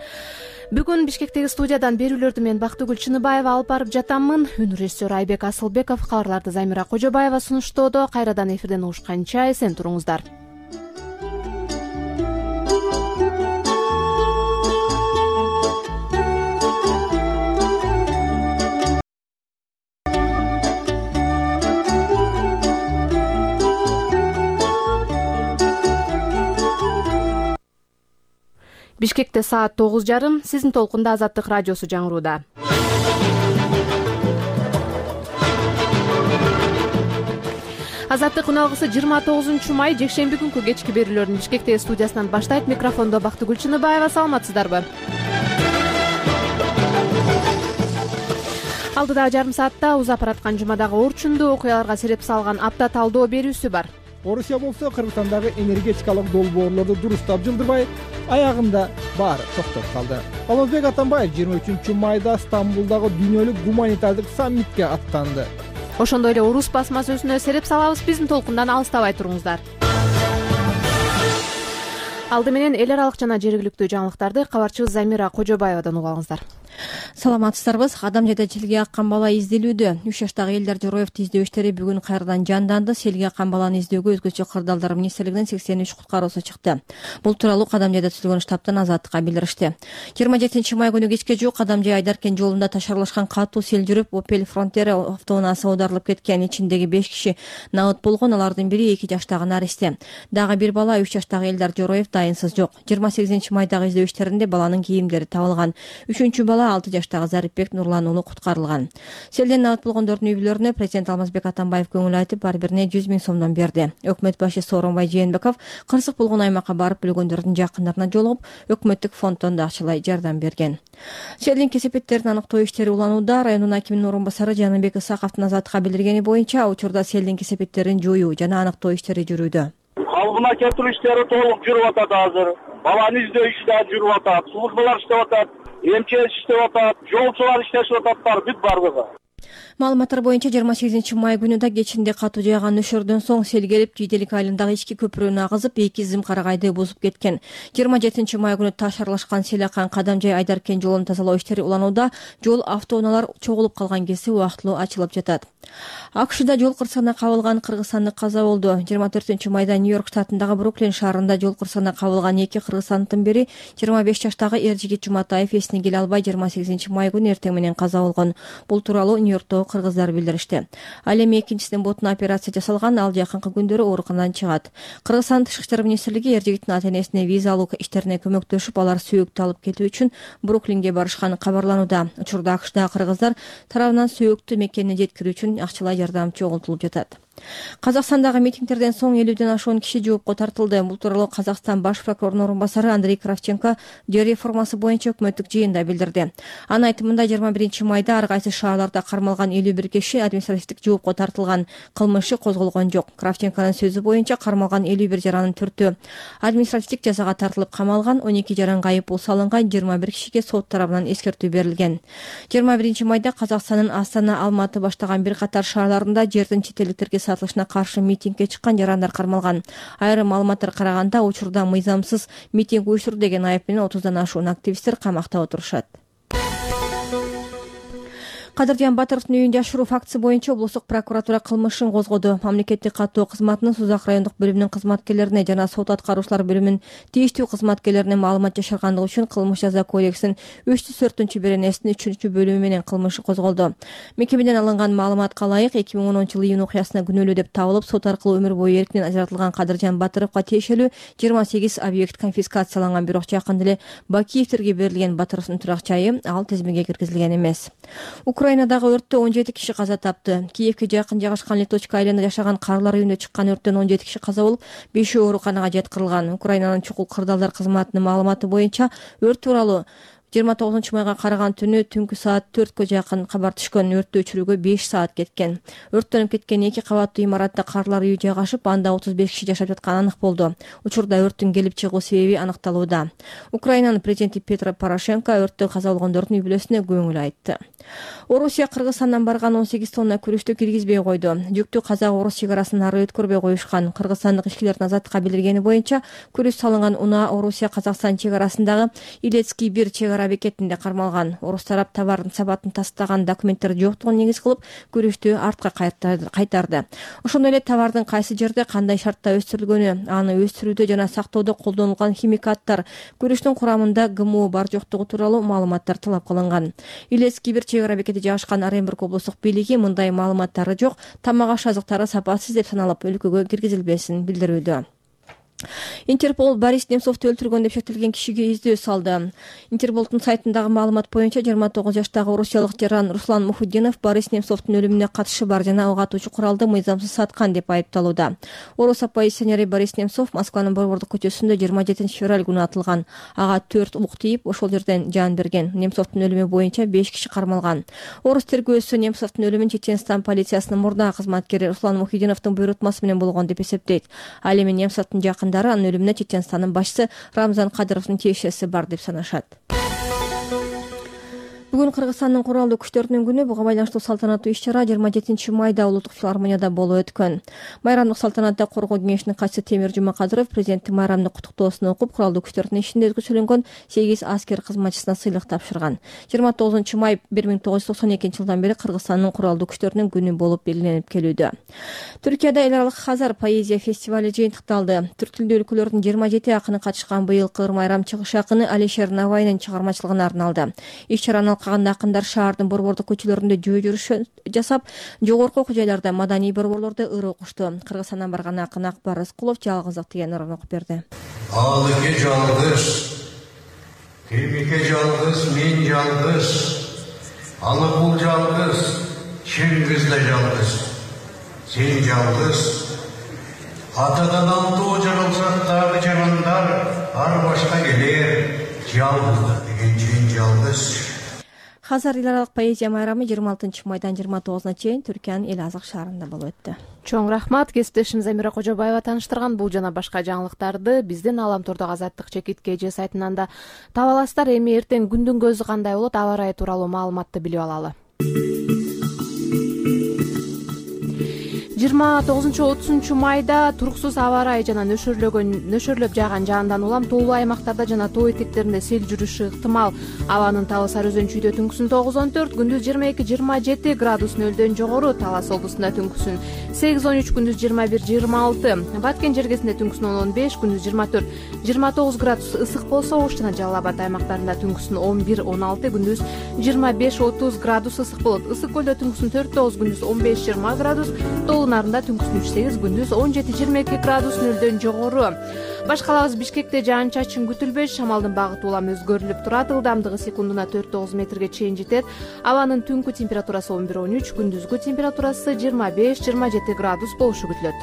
Бүгүн Бишкектеги студиядан берүүлөрдү мен Бактыгүл Чыныбаева алып барып жатаммын. Үн режиссеру Айбек Асылбеков, кабарларды Замира Кожобаева сунуштоодо. Кайрадан эфирден угушканча эсен туруңуздар. Бишкекте саат тогуз жарым, сиздин толкунда Азаттык радиосу жаңырууда. Азаттык үн алгысы жыйырма тогузунчу май жекшемби күнкү кечки берүүлөрүн Бишкектеги студиясынан баштайт. Микрофондо Бактыгүл Чыныбаева. Саламатсыздарбы? Алдыдагы жарым саатта узап бараткан жумадагы орчундуу окуяларга сереп салган апта талдоо берүүсү бар. Орусия болсо Кыргызстандагы энергетикалык долбоорлорду дурустап жылдырбай, аягында баары токтоп калды. Алмазбек Атамбаев жыйырма үчүнчү майда Стамбулдагы дүйнөлүк гуманитардык саммитке аттанды. Ошондой эле Орус басма сөзүнө сереп салабыз. Биздин толкундан алыстабай туруңуздар. Алды менен эл аралык жана жергиликтүү жаңылыктарды кабарчыбыз Замира Кожобаевадан угуп алыңыздар. Саламатсыздарбы? Адам жайда селге аккан бала изделүүдө. үч жаштагы Элдар Жороевди издөө иштери бүгүн кайрадан жанданды. Селге аккан баланы издөөгө өзгөчө кырдаалдар министрлигинин сексен үч куткаруусу чыкты. Бул тууралуу Кадам жайда түзүлгөн штабтан Азаттыкка билдиришти. жыйырма жетинчи май күнү кечке жуук Кадам жай Айдаркен жолунда ташарлашкан катуу сел жүрүп, Opel Frontera автоунаасы оодарылып кеткен. Ичиндеги беш киши набыт болгон, алардын бири эки жаштагы наристе. Дагы бир бала үч жаштагы Элдар Жороев дайынсыз жок. жыйырма сегизинчи майдагы издөө иштеринде баланын кийимдери табылган. Үчүнчү бала алты жаштагы Зарипбек Нурлан уулу куткарылган. Селден набыт болгондордун үй бүлөлөрүнө президент Алмазбек Атамбаев көңүл айтып, ар бирине жүз миң сомдон берди. Өкмөт башы Сооронбай Жээнбеков кырсык болгон аймакка барып өлгөндөрдүн жакындарына жолугуп, өкмөттүк фонддон да акчалай жардам берген. Селдин кесепеттерин аныктоо иштери уланууда. Районун акиминин орун басары Жаныбек Исаковдун Азаттыкка билдиргени боюнча, учурда селдин кесепеттерин жоюу жана аныктоо иштери жүрүүдө. Калыбына келтирүү иштери толук жүрүп атат азыр. Баланы издөө иши да жүрүп атат. Службалар иштеп атат. эмчес иштеп атат, жолчулар иштешип атат, бүт бардыгы. Маалыматтар боюнча жыйырма сегизинчи май күнү да кечинде катуу жааган нөшөрдөн соң сел келип, Жийделик айылындагы ички көпүрөнү агызып, эки зым карагайды бузуп кеткен. жыйырма жетинчи май күнү таш аралашкан сел аккан Кадам жай Айдаркен жолун тазалоо иштери уланууда. Жол автоунаалар чогулуп калган кезде убактылуу ачылып жатат. АКШда жол кырсыгына кабылган кыргызстандык каза болду. жыйырма төртүнчү майда Нью-Йорк штатындагы Бруклин шаарында жол кырсыгына кабылган эки кыргызстандыктын бири жыйырма беш жаштагы Эржигит Жуматаев эсине келе албай жыйырма сегизинчи май күнү эртең менен каза болгон. Бул тууралуу Нью-Йорктогу кыргыздар билдиришти. Ал эми экинчисинин ботуна операция жасалган, ал жакынкы күндөрү ооруканадан чыгат. Кыргызстан Тышкы иштер министрлиги Эржигиттин ата-энесине виза алуу иштерине көмөктөшүп, алар сөөктү алып кетүү үчүн Бруклинге барышканы кабарланууда. Учурда АКШдагы кыргыздар тарабынан сөөктү мекенине жеткирүү үчүн акчалай жардам чогултулуп жатат. Казакстандагы митингдерден соң элүүдөн ашуун киши жоопко тартылды. Бул тууралуу Казакстан баш прокурорунун орун басары Андрей Кравченко жер реформасы боюнча өкмөттүк жыйында билдирди. Анын айтымында жыйырма биринчи майда ар кайсы шаарларда кармалган элүү бир киши административдик жоопко тартылган, кылмышы козголгон жок. Кравченконун сөзү боюнча кармалган элүү бир жаранын төртөө административдик жазага тартылып камалган, он эки жаранга айыппул салынган, жыйырма бир кишиге сот тарабынан эскертүү берилген. жыйырма биринчи майда Казакстандын Астана, Алматы баштаган бир катар шаарларында жердин чет элдиктерге сатылышына каршы митингге чыккан жарандар кармалган. Айрым маалыматтар караганда, учурда мыйзамсыз митинг уюштурду деген айып менен отуздан ашуун активисттер камакта отурушат. Кадыржан Батыровдун үйүн жашыруу фактысы боюнча облустук прокуратура кылмышын козгоду. Мамлекеттик каттоо кызматынын Сузак райондук бөлүмүнүн кызматкерлерине жана сот аткаруучулар бөлүмүнүн тийиштүү кызматкерлерине маалымат жашыргандыгы үчүн Кылмыш жаза кодексинин үч жүз төртүнчү беренесинин үчүнчү бөлүмү менен кылмыш козголду. Мекемеден алынган маалыматка ылайык эки миң онунчу жылы июнь окуясына күнөөлүү деп табылып, сот аркылуу өмүр бою эркинен ажыратылган Кадыржан Батыровго тиешелүү жыйырма сегиз объект конфискацияланган, бирок жакында эле Бакиевтерге берилген. Батыровдун турак жайы ал тизмеге киргизилген эмес. Украинадагы өрттө он жети киши каза тапты. Киевке жакын жайгашкан Литочка айылында жашаган карлар үйүндө чыккан өрттөн он жети киши каза болуп, бешөө ооруканага жаткырылган. Украинанын чукул кырдаалдар кызматынын маалыматы боюнча өрт тууралуу жыйырма тогузунчу майга караган түнү түнкү саат төрткө жакын кабар түшкөн. Өрттү өчүрүүгө беш саат кеткен. Өрттөнүп кеткен эки кабаттуу имаратта карлар үйү жайгашып, анда отуз беш киши жашап жатканы анык болду. Учурда өрттүн келип чыгуу себеби аныкталууда. Украинанын президенти Петро Порошенко өрттө каза болгондордун үй бүлөсүнө көңүл айтты. Орусия Кыргызстандан барган он сегиз тонна күрүчтү киргизбей койду. Жүктү казак-орус чек арасын ары өткөрбөй коюшкан. Кыргызстандык ишкерлердин азаттыкка билдиргени боюнча күрүч салынган унаа Орусия Казакстан чек арасындагы Илецкий бир чек ара бекетинде кармалган. Орус тарап товардын сапатын тастаган документтер жоктугун негиз кылып күрүчтү артка кайтарды. Ошондой эле товардын кайсы жерде кандай шартта өстүрүлгөнү, аны өстүрүүдө жана сактоодо колдонулган химикаттар, күрүчтүн курамында ГМО бар жоктугу тууралуу маалыматтар талап кылынган. Илецкий бир чек ара бекети жайгашкан Оренбург облустук бийлиги мындай маалыматтары жок, тамак аш азыктары сапасыз деп саналып өлкөгө киргизилбесин билдирүүдө. Интерпол Борис Немцовду өлтүргөн деп шектелген кишиге издөө салды. Интерполдун сайтындагы маалымат боюнча жыйырма тогуз жаштагы орусиялык жаран Руслан Мухуддинов Борис Немцовдун өлүмүнө катышы бар жана ага атуучу куралды мыйзамсыз саткан деп айыпталууда. Орус оппозиционери Борис Немцов Москванын Борбордук көчөсүндө жыйырма жетинчи февраль күнү атылган. Ага төрт ук тийип, ошол жерден жан берген. Немцовдун өлүмү боюнча беш киши кармалган. Орус тергөөсү Немцовдун өлүмүн Чеченстан полициясынын мурдагы кызматкери Руслан Мухуддиновдун буйрутмасы менен болгон деп эсептейт. Ал эми Немцовдун жакын анын өлүмүнө Чеченстандын башчысы Рамзан Кадыровдун тиешеси бар деп санашат. Бүгүн Кыргызстандын куралдуу күчтөрүнүн күнү. Буга байланыштуу салтанаттуу иш-чара жыйырма жетинчи майда улуттук филармонияда болуп өткөн. Майрамдык салтанатта Коргоо кеңешинин катчысы Темир Жумакадыров президенттин майрамдык куттуктоосун окуп, куралдуу күчтөрдүн ишинде өзгөчөлөнгөн сегиз аскер кызматчысына сыйлык тапшырган. жыйырма тогузунчу май бир миң тогуз жүз токсон экинчи жылдан бери Кыргызстандын куралдуу күчтөрүнүн күнү болуп белгиленип келүүдө. Түркияда эл аралык Хазар поэзия фестивали жыйынтыкталды. Түрк тилдүү өлкөлөрдүн жыйырма жети акыны катышкан быйылкы ыр майрам чыгыш акыны Алишер Навайнын чыгармачылыгына арналды. Иш-чараны алкаганда акындар шаардын борбордук көчөлөрүндө жөө жүрүш жасап, жогорку окуу жайларда маданий борборлордо ыр окушту. Кыргызстандан барган акын Акбар Рыскулов жалгыздык деген ырын окуп берди. Алыке жалгыз, кемике жалгыз, мен жалгыз, Алыкул жалгыз, Чыңгыз да жалгыз, сен жалгыз. Атадан алтоо жаралсак дагы жарандар ар башка келер, жалгыздык деген чейин жалгыз. Хазар эл аралык поэзия майрамы жыйырма алтынчы майдан жыйырма тогузуна чейин Түркиянын Эл Азык шаарында болуп өттү. Чоң рахмат. Кесиптешим Замира Кожобаева тааныштырган бул жана башка жаңылыктарды биздин Аламтордогу Азаттык чекит кж сайтынан да таба аласыздар. Эми эртең күндүн көзү кандай болот, аба ырайы тууралуу маалыматты билип алалы. жыйырма тогузунчу отузунчу майда туруксуз аба ырайы жана нөшөрлөгөн нөшөрлөп жааган жаандан улам тоолуу аймактарда жана тоо этектеринде сел жүрүшү ыктымал. Абанын табы Сары Өзөн чүйдө түнкүсүн тогуз он төрт, күндүз жыйырма эки жыйырма жети градус нөлдөн жогору, Талас облусунда түнкүсүн сегиз он үч, күндүз жыйырма бир жыйырма алты, Баткен жергесинде түнкүсүн он он беш, күндүз жыйырма төрт жыйырма тогуз градус ысык болсо, Ош жана Жалал Абад аймактарында түнкүсүн он бир он алты, күндүз жыйырма беш отуз градус ысык болот. Ысык көлдө түнкүсүн төрт тогуз, күндүз он беш жыйырма градус, Тоолуу Нарында түнкүсүн үч сегиз, күндүз он жети жыйырма эки градус нөлдөн жогору. Баш калабыз Бишкекте жаан-чачын күтүлбөйт, шамалдын багыты улам өзгөрүлүп турат, ылдамдыгы секундуна төрт тогуз метрге чейин жетет. Абанын түнкү температурасы он бир он үч, күндүзгү температурасы жыйырма беш жыйырма жети градус болушу күтүлөт.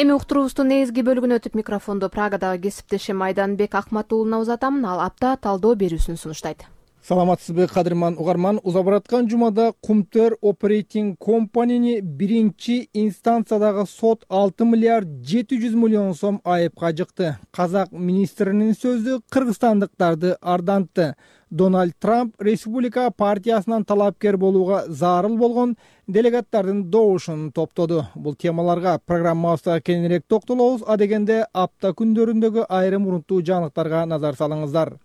Эми уктуруубуздун негизги бөлүгүнө өтүп, микрофондо Прагадагы кесиптешим Айданбек Акматуулуна узатам. Ал апта талдоо берүүсүн сунуштайт. Саламатсызбы, кадырман угарман. Уза бараткан жумада Кумтөр Operating Company'ни биринчи инстанциядагы сот алты миллиард жети жүз миллион сом айыпка жыкты. Казак министринин сөзү кыргызстандыктарды ардантты. Дональд Трамп Республика партиясынан талапкер болууга зарыл болгон делегаттардын добушун топтоду. Бул темаларга программабызда кеңирээк токтолобуз. А дегенде апта күндөрүндөгү айрым урунттуу жаңылыктарга назар салыңыздар.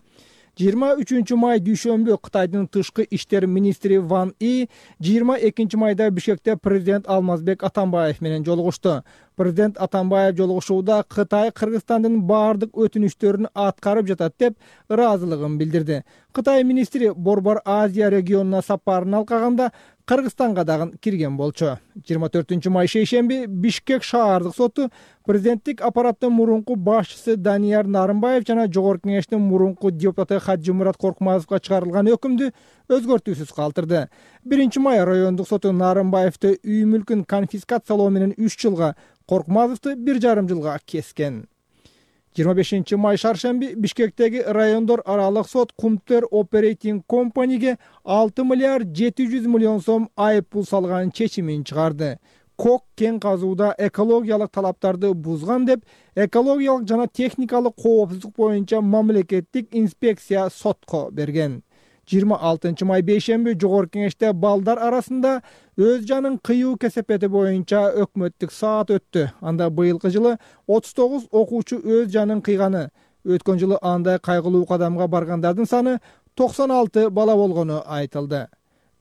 жыйырма үчүнчү май дүйшөмбү Кытайдын тышкы иштер министри Ван И жыйырма экинчи майда Бишкекте президент Алмазбек Атамбаев менен жолугушту. Президент Атамбаев жолугушууда Кытай Кыргызстандын баардык өтүнүчтөрүн аткарып жатат деп ыраазылыгын билдирди. Кытай министри Борбор Азия регионуна сапарын алкаганда Кыргызстанга дагы кирген болчу. жыйырма төртүнчү май шейшемби Бишкек шаардык соту президенттик аппараттын мурунку башчысы Данияр Нарымбаев жана Жогорку кеңештин мурунку депутаты Хаджимурат Коркмазовго чыгарылган өкүмдү өзгөртүүсүз калтырды. биринчи май райондук соту Нарымбаевди үй мүлкүн конфискациялоо менен үч жылга, Коркмазовду бир жарым жылга кескен. жыйырма бешинчи май шаршемби Бишкектеги райондор аралык сот Кумтер Operating Company'ге алты миллиард жети жүз миллион сом айып пул салган чечимин чыгарды. Кок кен казууда экологиялык талаптарды бузган деп, экологиялык жана техникалык коопсуздук боюнча мамлекеттик инспекция сотко берген. жыйырма алтынчы май бейшемби Жогорку Кеңеште балдар арасында өз жанын кыюу кесепети боюнча өкмөттүк саат өттү. Анда быйылкы жылы отуз тогуз окуучу өз жанын кыйганы. Өткөн жылы андай кайгылуу кадамга баргандардын саны токсон алты бала болгону айтылды.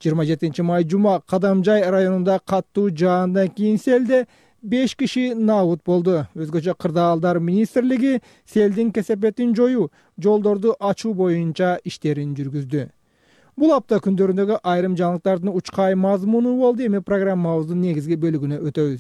жыйырма жетинчи май жума Кадамжай районунда каттуу жаандан кийин селде беш киши набут болду. Өзгөчө Кырдаалдар министрлиги селдин кесепетин жоюу, жолдорду ачуу боюнча иштерин жүргүздү. Бул апта күндөрүндөгү айрым жаңылыктардын учкай мазмуну болду. Эми программабыздын негизги бөлүгүнө өтөбүз.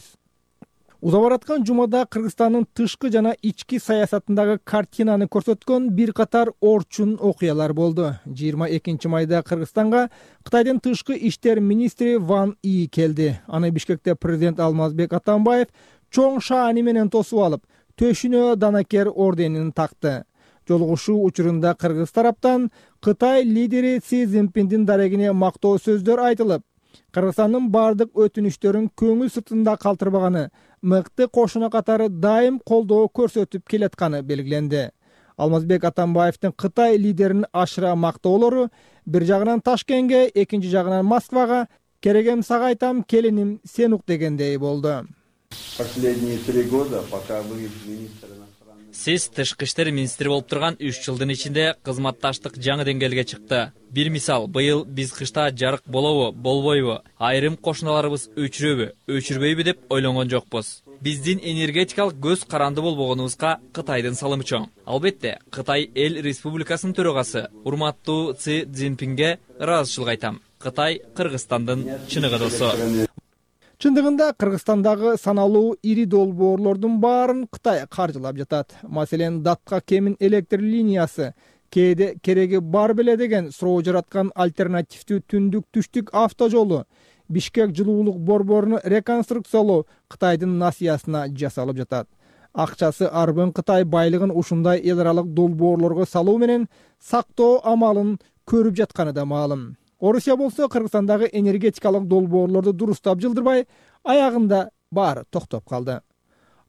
Уза бараткан жумада Кыргызстандын тышкы жана ички саясатындагы картинаны көрсөткөн бир катар орчун окуялар болду. жыйырма экинчи майда Кыргызстанга Кытайдын тышкы иштер министри Ван И келди. Аны Бишкекте президент Алмазбек Атамбаев чоң шаани менен тосуп алып, төшүнө данакер орденин такты. Жолугушуу учурунда Кыргыз тараптан Кытай лидери Си Цзиньпиндин дарегине мактоо сөздөр айтылып, Кыргызстандын бардык өтүнүчтөрүн көңүл сыртында калтырбаганы, мыкты кошуна катары дайым колдоо көрсөтүп келатканы белгиленди. Алмазбек Атамбаевдин Кытай лидерин ашыра мактоолору бир жагынан Ташкентке, экинчи жагынан Москвага «Керегем сага айтам, келиним, сен ук» дегендей болду. Последние три года, пока вы министр Сиз тышкы иштер министри болуп турган үч жылдын ичинде кызматташтык жаңы деңгээлге чыкты. Бир мисал, быйыл биз кышта жарык болобу, болбойбу, айрым кошуналарыбыз өчүрөбү, өчүрбөйбү деп ойлонгон жокпуз. Биздин энергетикалык көз каранды болбогонубузга Кытайдын салымы чоң. Албетте, Кытай эл республикасынын төрагасы урматтуу Си Цзиньпинге ыраазычылык айтам. Кытай Кыргызстандын чыныгы досу. Чындыгында Кыргызстандагы саналуу ири долбоорлордун баарын Кытай каржылап жатат. Маселен, Датка Кемин электр линиясы кээде кереги бар беле деген суроо жараткан альтернативдүү түндүк-түштүк автожолу, Бишкек жылуулук борборун реконструкциялоо Кытайдын насыясына жасалып жатат. Акчасы арбын Кытай байлыгын ушундай эл аралык долбоорлорго салуу менен сактоо амалын көрүп жатканы да маалым. Орусия болсо Кыргызстандагы энергетикалык долбоорлорду дурустап жылдырбай, аягында баары токтоп калды.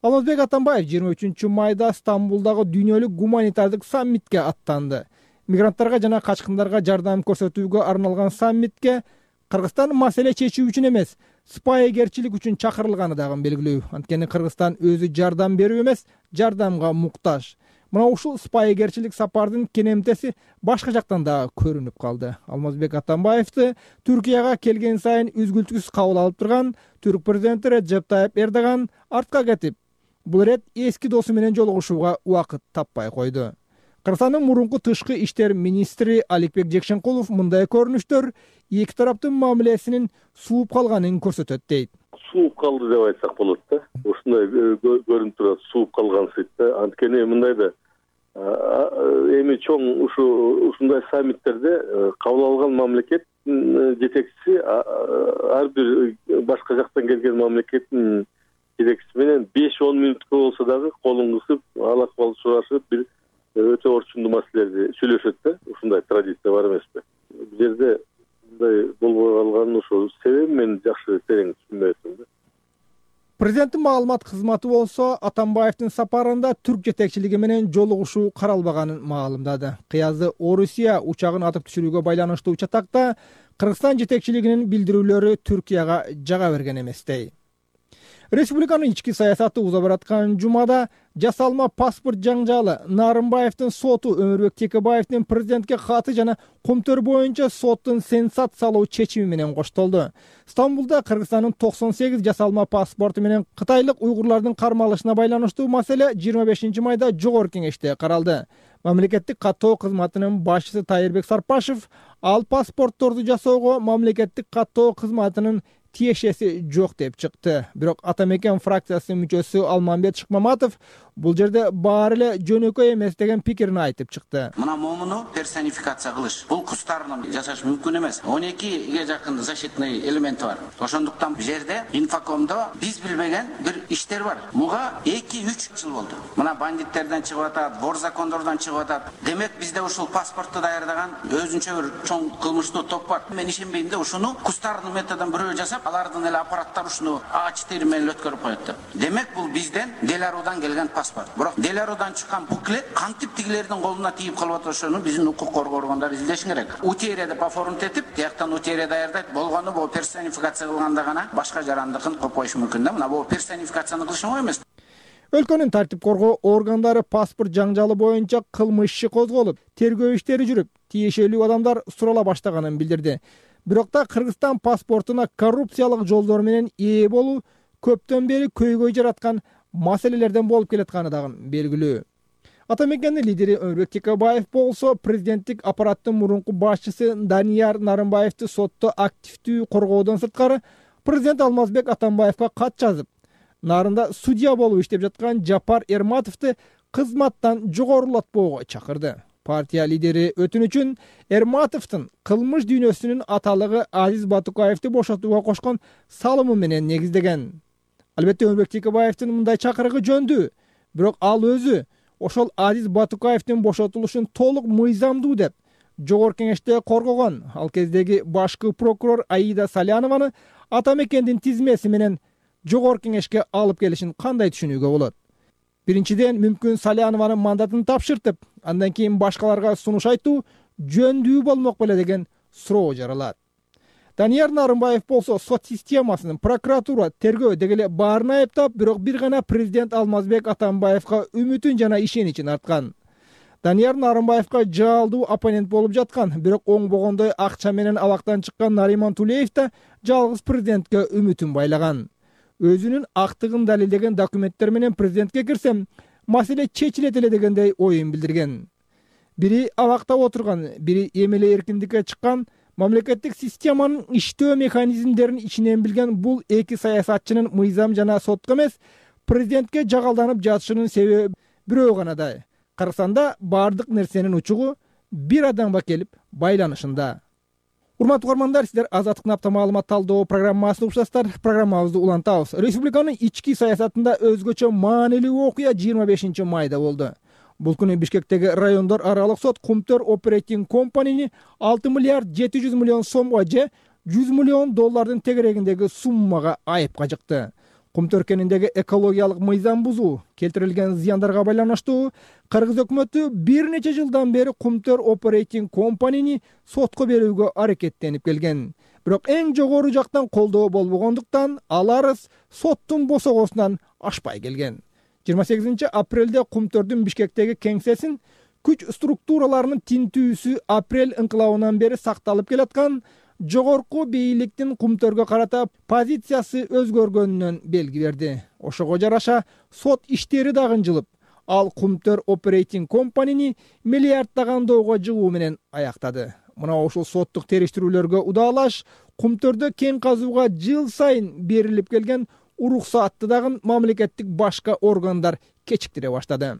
Алмазбек Атамбаев жыйырма үчүнчү майда Стамбулдагы дүйнөлүк гуманитардык саммитке аттанды. Мигранттарга жана качкындарга жардам көрсөтүүгө арналган саммитке Кыргызстан маселе чечүү үчүн эмес, сыпайыгерчилик үчүн чакырылганы дагы белгилүү. Анткени Кыргызстан өзү жардам берүү эмес, жардамга муктаж. Мына ушул сыпайыгерчилик сапардын кенемтеси башка жактан да көрүнүп калды. Алмазбек Атамбаевди Түркияга келген сайын үзгүлтүксүз кабыл алып турган түрк президенти Реджеп Тайып Эрдоган артка кетип, бул ирет эски досу менен жолугушууга убакыт таппай койду. Кыргызстандын мурунку тышкы иштер министри Аликбек Жекшенкулов мындай көрүнүштөр эки тараптын мамилесинин сууп калганын көрсөтөт дейт. Сууп калды деп айтсак болот да. Ушундай көрүнүп турат, сууп калгансыйт да. Анткени мындай да эми чоң ушу ушундай саммиттерде кабыл алган мамлекет жетекчиси ар бир башка жактан келген мамлекеттин жетекчиси менен беш он мүнөткө болсо дагы колун кысып, ал акыбал сурашып, бир өтө орчундуу маселелерди сүйлөшөт да. Ушундай традиция бар эмеспи? Бул жерде мындай болбой калганын ошол себеби мен жакшы терең түшүнбөй атам да. Президенттин маалымат кызматы болсо Атамбаевдин сапарында түрк жетекчилиги менен жолугушуу каралбаганын маалымдады. Кыязды Орусия учагын атып түшүрүүгө байланыштуу чатакта Кыргызстан жетекчилигинин билдирүүлөрү Түркияга жага берген эместей. Республиканын ички саясаты уза бараткан жумада жасалма паспорт жаңжалы, Нарымбаевдин соту, Өмүрбек Текебаевдин президентке каты жана Кумтөр боюнча соттун сенсациялоо чечими менен коштолду. Стамбулда Кыргызстандын токсон сегиз жасалма паспорту менен кытайлык уйгурлардын кармалышына байланыштуу маселе жыйырма бешинчи майда Жогорку Кеңеште каралды. Мамлекеттик каттоо кызматынын башчысы Тайырбек Сарпашев ал паспортторду жасоого мамлекеттик каттоо кызматынын тиешеси жок деп чыкты. Бирок Атамекен фракциясынын мүчөсү Алмамбет Шыкмаматов бул жерде баары эле жөнөкөй эмес деген пикирин айтып чыкты. Мына момуну персонификация кылыш бул кустарынан жасаш мүмкүн эмес. он экиге жакын защитный элементи бар. Ошондуктан бул жерде инфокомдо биз билбеген бир иштер бар. Буга эки үч жыл болду. Мына бандиттерден чыгып атат, вор закондордон чыгып атат. Демек бизде ушул паспортту даярдаган өзүнчө бир чоң кылмыштуу топ бар. Мен ишенбейм да ушуну кустардын методун бирөө жасап, алардын эле аппараттары ушуну ач тери менен өткөрүп коет деп. Демек бул бизден Деларудан келген паспорт. Бирок Деларудан чыккан буклет кантип тигилердин колуна тийип калып атат, ошону биздин укук коргоо органдары излеш керек. Утерия деп оформить этип, тияктан утерия даярдайт. Болгону бул персонификация кылганда гана башка жарандыкын коюп коюш мүмкүн да. Мына бул персонификацияны кылыш оңой эмес. Өлкөнүн тартип коргоо органдары паспорт жаңжалы боюнча кылмыш иши козголуп, тергөө иштери жүрүп, тиешелүү адамдар сурала баштаганын билдирди. Бирок да Кыргызстан паспортуна коррупциялык жолдор менен ээ болуу көптөн бери көйгөй жараткан маселелерден болуп келатканы дагы белгилүү. Атамекендин лидери Өмүрбек Текебаев болсо президенттик аппараттын мурунку башчысы Данияр Нарымбаевди сотто активдүү коргоодон сырткары президент Алмазбек Атамбаевга кат жазып, нарында судья болуп иштеп жаткан Жапар Эрматовду кызматтан жогорулатпоого чакырды. Партия лидери өтүнүчүн Эрматовдун кылмыш дүйнөсүнүн аталыгы Азиз Батукаевди бошотууга кошкон салымы менен негиздеген. Албетте Өмүрбек Текебаевдин мындай чакырыгы жөндүү, бирок ал өзү ошол Азиз Батукаевдин бошотулушун толук мыйзамдуу деп жогорку кеңеште коргогон. Ал кездеги башкы прокурор Аида Салянованы Атамекендин тизмеси менен жогорку кеңешке алып келишин кандай түшүнүүгө болот? Биринчиден, мүмкүн Салянованын мандатын тапшыртып, андан кийин башкаларга сунуш айтуу жөндүү болмок беле деген суроо жаралат. Данияр Нарымбаев болсо сот системасын, прокуратура, тергөө дегеле баарын айыптап, бирок бир гана президент Алмазбек Атамбаевга үмүтүн жана ишеничин арткан. Данияр Нарымбаевга жаалдуу оппонент болуп жаткан, бирок оңбогондой акча менен абактан чыккан Нариман Тулеев да жалгыз президентке үмүтүн байлаган. Өзүнүн актыгын далилдеген документтер менен президентке кирсем, маселе чечилет эле дегендей оюн билдирген. Бири абакта отурган, бири эмеле эркиндикке чыккан, мамлекеттик системанын иштөө механизмдерин ичинен билген бул эки саясатчынын мыйзам жана сотко эмес, президентке жагалданып жатышынын себеби бирөө гана да. Кыргызстанда бардык нерсенин учугу бир адамга келип байланышында. Урматтуу угармандар, сиздер Азаттыктын апта маалымат талдоо программасын угушасыздар. Программабызды улантабыз. Республиканын ички саясатында өзгөчө маанилүү окуя жыйырма бешинчи майда болду. Бул күнү Бишкектеги райондор аралык сот Кумтөр Operating Company'ни алты миллиард жети жүз миллион сомго же жүз миллион доллардын тегерегиндеги суммага айыпка жыкты. Кумтөр кениндеги экологиялык мыйзам бузуу, келтирилген зыяндарга байланыштуу Кыргыз өкмөтү бир нече жылдан бери Кумтөр Operating Company'ни сотко берүүгө аракеттенип келген. Бирок эң жогору жактан колдоо болбогондуктан ал арыз соттун босогосунан ашпай келген. жыйырма сегизинчи апрелде Кумтөрдүн Бишкектеги кеңсесин күч структураларынын тинтүүсү апрель ыңкылабынан бери сакталып келаткан жогорку бийликтин Кумтөргө карата позициясы өзгөргөнүнөн белги берди. Ошого жараша сот иштери дагы жылып, ал Кумтөр Operating Company'ни миллиарддаган долларга жыгуу менен аяктады. Мына ушул соттук териштирүүлөргө удаалаш Кумтөрдө кен казууга жыл сайын берилип келген уруксаатты дагы мамлекеттик башка органдар кечиктире баштады.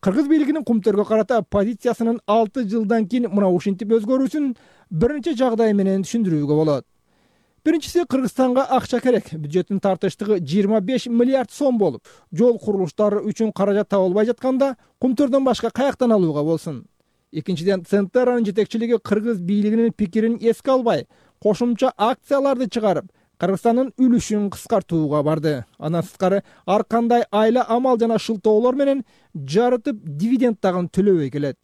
Кыргыз бийлигинин Кумтөргө карата позициясынын алты жылдан кийин мына ушинтип өзгөрүүсүн бир нече жагдай менен түшүндүрүүгө болот. Биринчиси, Кыргызстанга акча керек. Бюджеттин тартыштыгы жыйырма беш миллиард сом болуп, жол курулуштары үчүн каражат табылбай жатканда Кумтөрдөн башка каяктан алууга болсун? Экинчиден, Центеранын жетекчилиги Кыргыз бийлигинин пикирин эске албай, кошумча акцияларды чыгарып, Кыргызстандын үлүшүн кыскартууга барды. Андан сырткары ар кандай айла амал жана шылтоолор менен жарытып дивиденд дагы төлөбөй келет.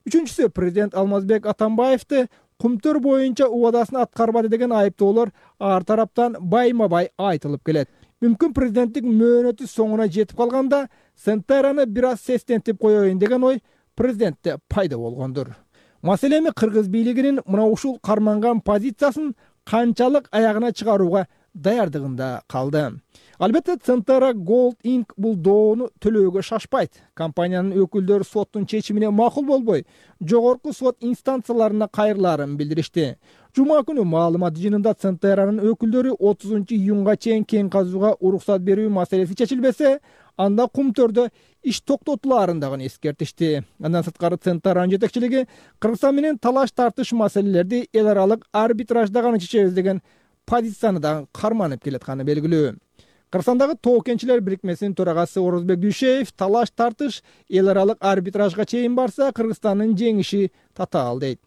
Үчүнчүсү, президент Алмазбек Атамбаевди Кумтөр боюнча убадасын аткарбады деген айыптоолор ар тараптан байма-бай айтылып келет. Мүмкүн президенттик мөөнөтү соңуна жетип калганда Центераны бир аз сестентип коеюн деген ой президентте пайда болгондур. Маселе эми Кыргыз бийлигинин мына ушул карманган позициясын канчалык аягына чыгарууга даярдыгында калды. Албетте, Центера Gold инк бул доону төлөөгө шашпайт. Компаниянын өкүлдөрү соттун чечимине макул болбой, жогорку сот инстанцияларына кайрыларын билдиришти. Жума күнү маалымат жыйынында Центеранын өкүлдөрү отузунчу июнга чейин кен казууга уруксат берүү маселеси чечилбесе, анда кумтөрдө иш токтотулаарын дагы эскертишти. Андан сырткары Центаран жетекчилиги Кыргызстан менен талаш тартыш маселелерди эл аралык арбитражда гана чечебиз деген позицияны дагы карманып келатканы белгилүү. Кыргызстандагы тоо кенчилер бирикмесинин төрагасы Орозбек Дүйшеев талаш тартыш эл аралык арбитражга чейин барса Кыргызстандын жеңиши татаал дейт.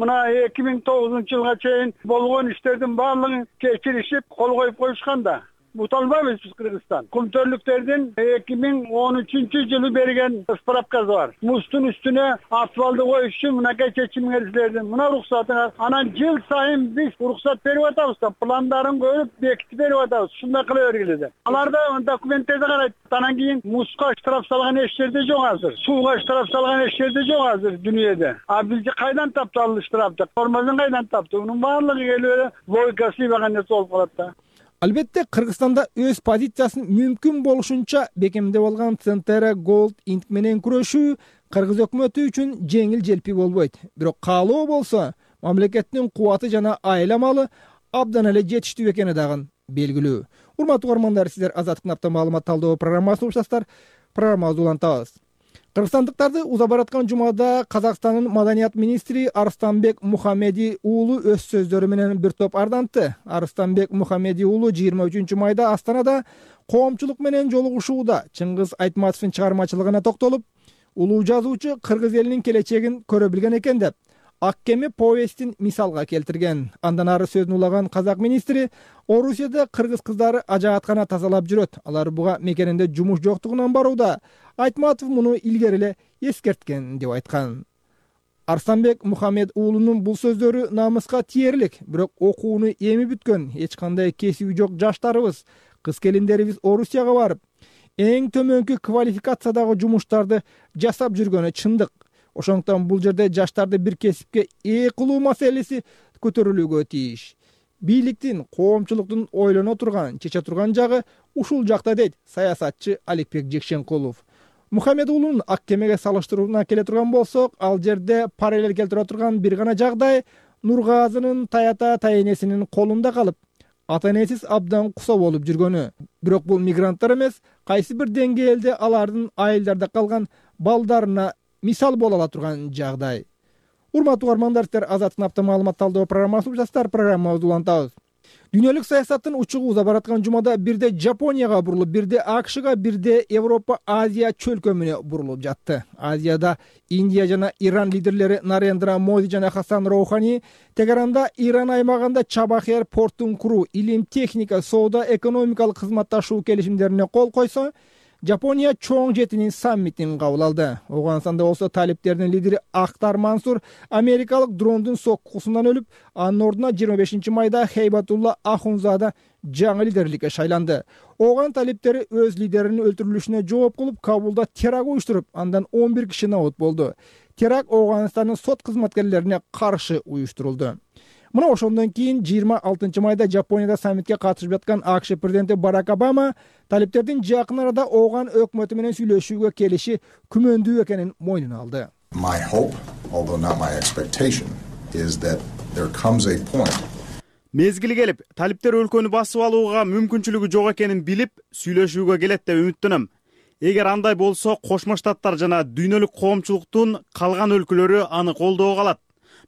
Мына эки миң тогузунчу жылга чейин болгон иштердин баардыгын кечиришип кол коюп коюшканда бут албайбыз биз Кыргызстан. Кумтөрлүктөрдүн эки миң он үчүнчү жылы берген справкасы бар. Муздун үстүнө асфальды коюш үчүн мынакей чечимиңердилердин мына уруксатыңар. Анан жыл сайын биз уруксат берип атабыз да, пландарын көрүп бекитип берип атабыз. Шундай кыла бергиле деп. Аларда документтерди карайт. Анан кийин музга штраф салган эч жерде жок азыр. Сууга штраф салган эч жерде жок азыр дүйнөдө. А бизди кайдан таптı ал штрафты? Формасын кайдан таптı? Унун баардыгы келип логикасы ийбаган нерсе болуп калат да. Албетте Кыргызстанда өз позициясын мүмкүн болушунча бекемдеп алган Центера Gold Inc менен күрөшүү Кыргыз өкмөтү үчүн жеңил желпи болбойт. Бирок каалоо болсо, мамлекеттин кубаты жана айламалы абдан эле жетиштүү экени дагы белгилүү. Урматтуу угармандар, сиздер Азаттыктын апта маалымат талдоо программасын угушасыздар. Программабызды улантабыз. Кыргызстандыктарды уза бараткан жумада Казакстандын маданият министри Арыстанбек Мухамеди уулу өз сөздөрү менен бир топ ардантты. Арыстанбек Мухамеди уулу жыйырма үчүнчү майда Астанада коомчулук менен жолугушууда Чыңгыз Айтматовдун чыгармачылыгына токтолуп, улуу жазуучу кыргыз элинин келечегин көрө билген экен деп, Ак кеме повестин мисалга келтирген. Андан ары сөзүн улаган казак министри Орусияда кыргыз кыздары ажааткана тазалап жүрөт. Алар буга мекенинде жумуш жоктугунан барууда. Айтматов муну илгери эле эскерткен деп айткан. Арыстанбек Мухамед уулунун бул сөздөрү намыска тиерлик, бирок окууну эми бүткөн, эч кандай кесиби жок жаштарыбыз, кыз келиндерибиз Орусияга барып, эң төмөнкү квалификациядагы жумуштарды жасап жүргөнү чындык. Ошондуктан бул жерде жаштарды бир кесипке ээ кылуу маселеси көтөрүлүүгө тийиш. Бийликтин, коомчулуктун ойлоно турган, чече турган жагы ушул жакта дейт саясатчы Аликбек Жекшенкулов. Мухамед уулунун Ак кемеге салыштырууна келе турган болсок, ал жерде параллель келтире турган бир гана жагдай Нургазынын таята тайенесинин колунда калып, ата-энесиз абдан кусо болуп жүргөнү. Бирок бул мигранттар эмес, кайсы бир деңгээлде алардын айылдарда калган балдарына мисал боло ала турган жагдай. Урматтуу угармандар, сиздер Азаттыктын апта маалымат талдоо программасын угушасыздар. Программабызды улантабыз. Дүйнөлүк саясаттын учугу уза бараткан жумада бирде Жапонияга бурулуп, бирде АКШга, бирде Европа, Азия чөлкөмүнө бурулуп жатты. Азияда Индия жана Иран лидерлери Нарендра Моди жана Хасан Роухани Тегеранда Иран аймагында Чабахер портун куруу, илим, техника, соода, экономикалык кызматташуу келишимдерине кол койсо, Жапония чоң жетинин саммитин кабыл алды. Оганстанда болсо талиптердин лидери Ахтар Мансур америкалык дрондун соккусунан өлүп, анын ордуна жыйырма бешинчи майда Хейбатулла Ахунзада жаңы лидерликке шайланды. Оган талиптери өз лидеринин өлтүрүлүшүнө жооп кылып, Кабулда теракт уюштуруп, андан он бир киши набут болду. Теракт Оганстандын сот кызматкерлерине каршы уюштурулду. Мына ошондон кийин жыйырма алтынчы майда Жапонияда саммитке катышып жаткан АКШ президенти Барак Обама талиптердин жакын арада Оган өкмөтү менен сүйлөшүүгө келиши күмөндүү экенин мойнуна алды. My hope, although not my expectation, is that there comes a point. Мезгили келип, талиптер өлкөнү басып алууга мүмкүнчүлүгү жок экенин билип, сүйлөшүүгө келет деп үмүттөнөм. Эгер андай болсо, Кошмо Штаттар жана дүйнөлүк коомчулуктун калган өлкөлөрү аны колдоого алат.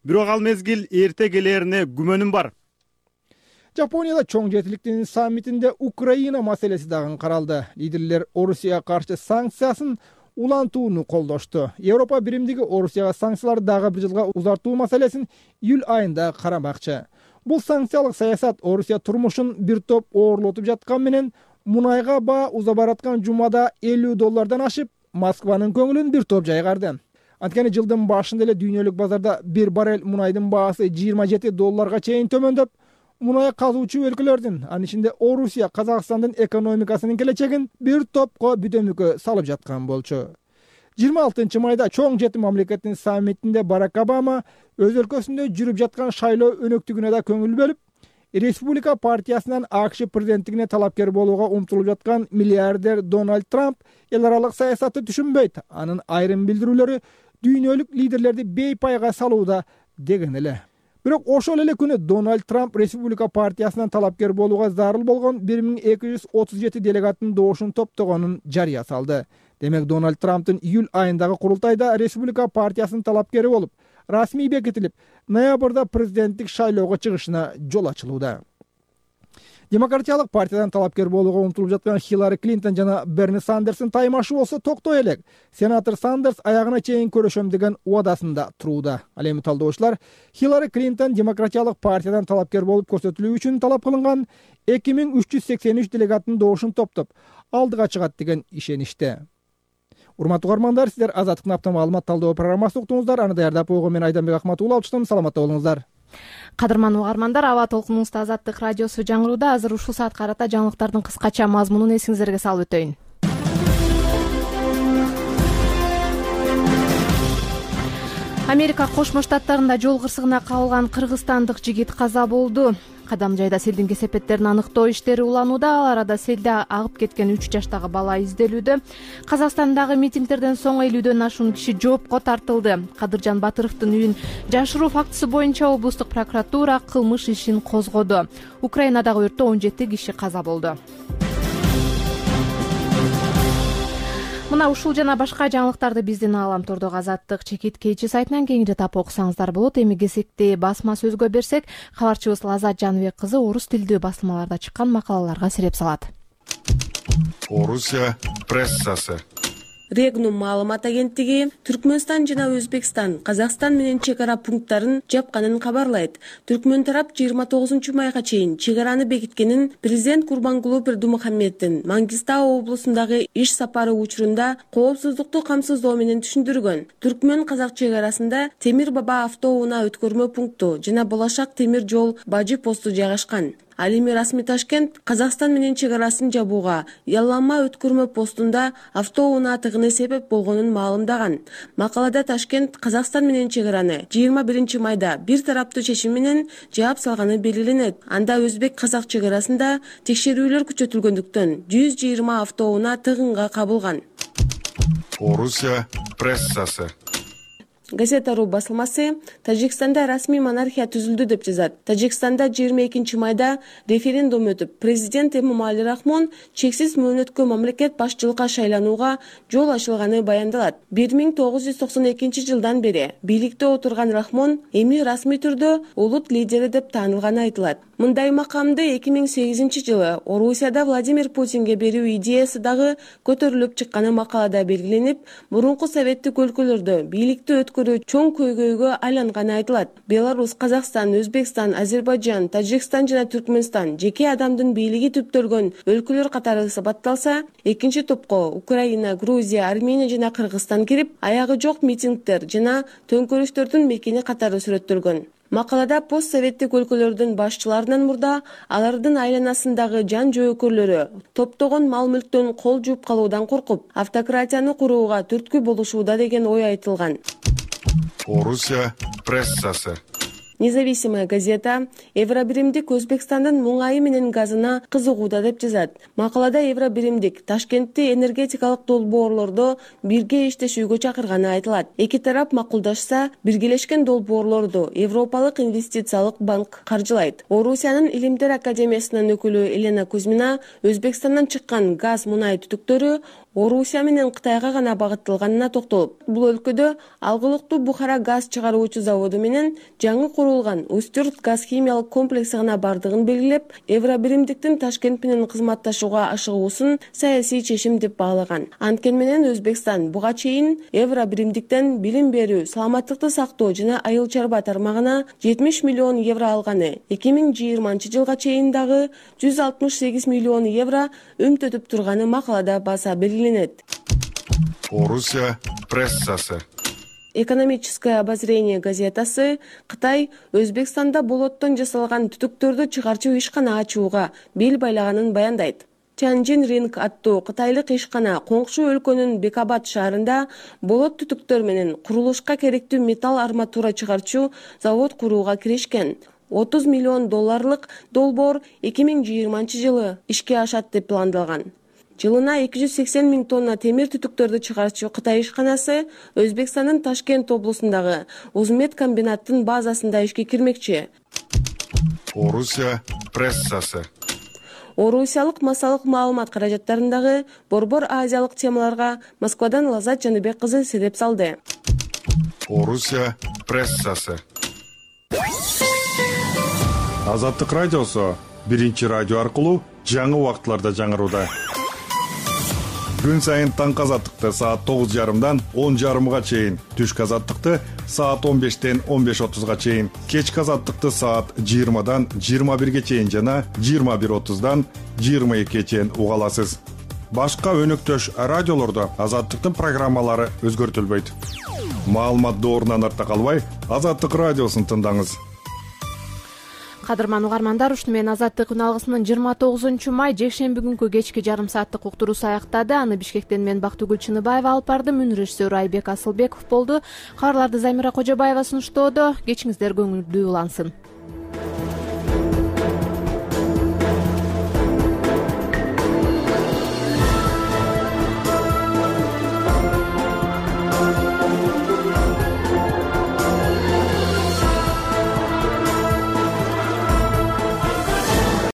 Бирок ал мезгил эрте келерине күмөнүм бар. Жапонияда чоң жетиликтин саммитинде Украина маселеси дагы каралды. Лидерлер Орусияга каршы санкциясын улантууну колдошту. Европа биримдиги Орусияга санкцияларды дагы бир жылга узартуу маселесин июль айында карамакчы. Бул санкциялык саясат Орусия турмушун бир топ оорлотуп жаткан менен мунайга баа уза бараткан жумада элүү доллардан ашып, Москванын көңүлүн бир топ жайгарды. Анткени жылдын башында эле дүйнөлүк базарда бир баррель мунайдын баасы жыйырма жети долларга чейин төмөндөп, мунай казуучу өлкөлөрдүн, анын ичинде Орусия, Казакстандын экономикасынын келечегин бир топко бүдөмүккө салып жаткан болчу. жыйырма алтынчы майда чоң жети мамлекеттин саммитинде Барак Обама өз өлкөсүндө жүрүп жаткан шайлоо өнөктүгүнө да көңүл бөлүп, Республика партиясынан АКШ президенттигине талапкер болууга умтулуп жаткан миллиардер Дональд Трамп эл аралык саясатты түшүнбөйт, анын айрым билдирүүлөрү дүйнөлүк лидерлерди бейпайга салууда деген эле. бирок ошол эле күнү Дональд Трамп Республика партиясынан талапкер болууга зарыл болгон бир миң эки жүз отуз жети делегаттын добушун топтогонун жарыя салды. Демек Дональд Трамптын июль айындагы курултайда Республика партиясынын талапкери болуп, расмий бекитилип, ноябрда президенттик шайлоого чыгышына жол ачылууда. Демократиялык партиядан талапкер болууга умтулуп жаткан Хиллари Клинтон жана Берни Сандерстин таймашы болсо токтой элек. Сенатор Сандерс аягына чейин көрөшөм деген убадасында турууда. Ал эми талдоочулар Хиллари Клинтон демократиялык партиядан талапкер болуп көрсөтүлүү үчүн талап кылынган эки миң үч жүз сексен үч делегаттын добушун топтоп алдыга чыгат деген ишениште. Урматтуу угармандар, сиздер Азаттыктын апта маалымат талдоо программасын уктуңуздар. Аны даярдап койгон мен Айданбек Акматуулов алчытым. Саламатта болуңуздар. Кадырман угармандар, аба толкунубузда Азаттык радиосу жаңырууда. Азыр ушул саат карата жаңылыктардын кыскача мазмунун эсиңиздерге салып өтөйүн. Америка Кошмо Штаттарында жол кырсыгына кабылган кыргызстандык жигит каза болду. Кадам жайда селдин кесепеттерин аныктоо иштери уланууда. Ал арада селде агып кеткен үч жаштагы бала изделүүдө. Казакстандагы митингдерден соң элүүдөн ашуун киши жоопко тартылды. Кадыржан Батыровдун үйүн жашыруу фактысы боюнча облустук прокуратура кылмыш ишин козгоду. Украинадагы өрттө он жети киши каза болду. Мына ушул жана башка жаңылыктарды биздин ааламтордогу Азаттык чекит кейчи сайтынан кеңири тап окусаңыздар болот. Эми кезекти басма сөзгө берсек, кабарчыбыз Лазат Жаныбек кызы орус тилдүү басылмаларда чыккан макалаларга сереп салат. Орусия прессасы. Регнум маалымат агенттиги Түркмөнстан жана Өзбекстан Казакстан менен чек ара пункттарын жапканын кабарлайт. Түркмөн тарап жыйырма тогузунчу майга чейин чек араны бекиткенин президент Курбангулуу Бердымухаммеддин Мангистау облусундагы иш сапары учурунда коопсуздукту камсыздоо менен түшүндүргөн. Түркмөн казак чек арасында Темир Баба автоунаа өткөрмө пункту жана Болашак темир жол бажы посту жайгашкан. Ал эми расмий Ташкент Казакстан менен чек арасын жабууга Яллама өткөрмө постунда автоунаа тыгыны себеп болгонун маалымдаган. Макалада Ташкент Казакстан менен чек араны жыйырма биринчи майда бир тараптуу чечим менен жаап салганы белгиленет. Анда Өзбек казак чек арасында текшерүүлөр күчөтүлгөндүктөн жүз жыйырма автоунаа тыгынга кабылган. Орусия прессасы. Газета.ру басылмасы Тажикстанда расмий монархия түзүлдү деп жазат. Тажикстанда жыйырма экинчи майда референдум өтүп, президент Эмомали Рахмон чексиз мөөнөткө мамлекет башчылыкка шайланууга жол ачылганы баяндалат. бир миң тогуз жүз токсон экинчи жылдан бери бийликте отурган Рахмон эми расмий түрдө улут лидери деп таанылганы айтылат. Мындай макамды эки миң сегизинчи жылы Орусияда Владимир Путинге берүү идеясы дагы көтөрүлүп чыкканы макалада белгиленип, мурунку советтик өлкөлөрдө бийликти өткөрүү чоң көйгөйгө айланганы айтылат. Беларусь, Казакстан, Өзбекстан, Азербайжан, Тажикстан жана Түркмөнстан жеке адамдын бийлиги түптөлгөн өлкөлөр катары сапатталса, экинчи топко Украина, Грузия, Армения жана Кыргызстан кирип, аягы жок митингдер жана төңкөрүштөрдүн мекени катары сүрөттөлгөн. Макалада постсоветтик өлкөлөрдүн башчыларынан мурда алардын айланасындагы жан жөөкөрлөрү топтогон мал-мүлктөн кол жууп калуудан коркуп, автократияны курууга түрткү болушууда деген ой айтылган. Орусия прессасы. Независимая газета Евробиримдик Өзбекстандын муңайы менен газына кызыгууда деп жазат. Макалада Евробиримдик Ташкентти энергетикалык долбоорлордо бирге иштешүүгө чакырганы айтылат. Эки тарап макулдашса, биргелешкен долбоорлорду Европалык инвестициялык банк каржылайт. Орусиянын Илимдер академиясынын өкүлү Елена Кузьмина Өзбекстандан чыккан газ мунай түтүктөрү Орусия менен Кытайга гана багытталганына токтолуп, бул өлкөдө алгылыктуу Бухара газ чыгаруучу заводу менен жаңы курулган Устюрт газ химиялык комплекси гана бардыгын белгилеп, Евробиримдиктин Ташкент менен кызматташууга ашыгуусун саясий чечим деп баалаган. Анткени менен Өзбекстан буга чейин Евробиримдиктен билим берүү, саламаттыкты сактоо жана айыл чарба тармагына жетимиш миллион евро алганы, эки миң жыйырманчы жылга чейин дагы жүз алтымыш сегиз миллион евро өмтөтүп турганы макалада баса белгиленет. Орусия прессасы. Экономическое обозрение газетасы Кытай Өзбекстанда болоттон жасалган түтүктөрдү чыгарчу ишкана ачууга бел байлаганын баяндайт. Tianjin Ring аттуу кытайлык ишкана коңшу өлкөнүн Бекабад шаарында болот түтүктөр менен курулушка керектүү металл арматура чыгарчу завод курууга киришкен. отуз миллион долларлык долбоор эки миң жыйырманчы жылы ишке ашат деп пландалган. Жылына эки жүз сексен миң тонна темир түтүктөрдү чыгарчу Кытай ишканасы Өзбекстандын Ташкент облусундагы Узмед комбинаттын базасында ишке кирмекчи. Орусия прессасы. Орусиялык массалык маалымат каражаттарындагы борбор азиялык темаларга Москвадан Лазат Жаныбек кызы селеп салды. Орусия прессасы. Азаттык радиосу биринчи радио аркылуу жаңы убакытларда жаңырууда. Күн сайын таңкы азаттыкты саат тогуз жарымдан он жарымга чейин, түшкү азаттыкты саат он бештен он беш отузга чейин, кечки азаттыкты саат жыйырмадан жыйырма бирге чейин жана жыйырма бир отуздан жыйырма экиге чейин уга аласыз. Башка өнөктөш радиолордо азаттыктын программалары өзгөртүлбөйт. Маалымат доорунан артта калбай, Азаттык радиосун тыңдаңыз. Кадырман угармандар, ушуну менен Азаттык күн алгысынын жыйырма тогузунчу май жекшемби күнкү кечки жарым сааттык уктуруусу аяктады. Аны Бишкектен мен Бактыгүл Чыныбаева алып бардым. Үн режиссеру Айбек Асылбеков болду. Кабарларды Замира Кожобаева сунуштоодо. Кечиңиздер көңүлдүү улансын.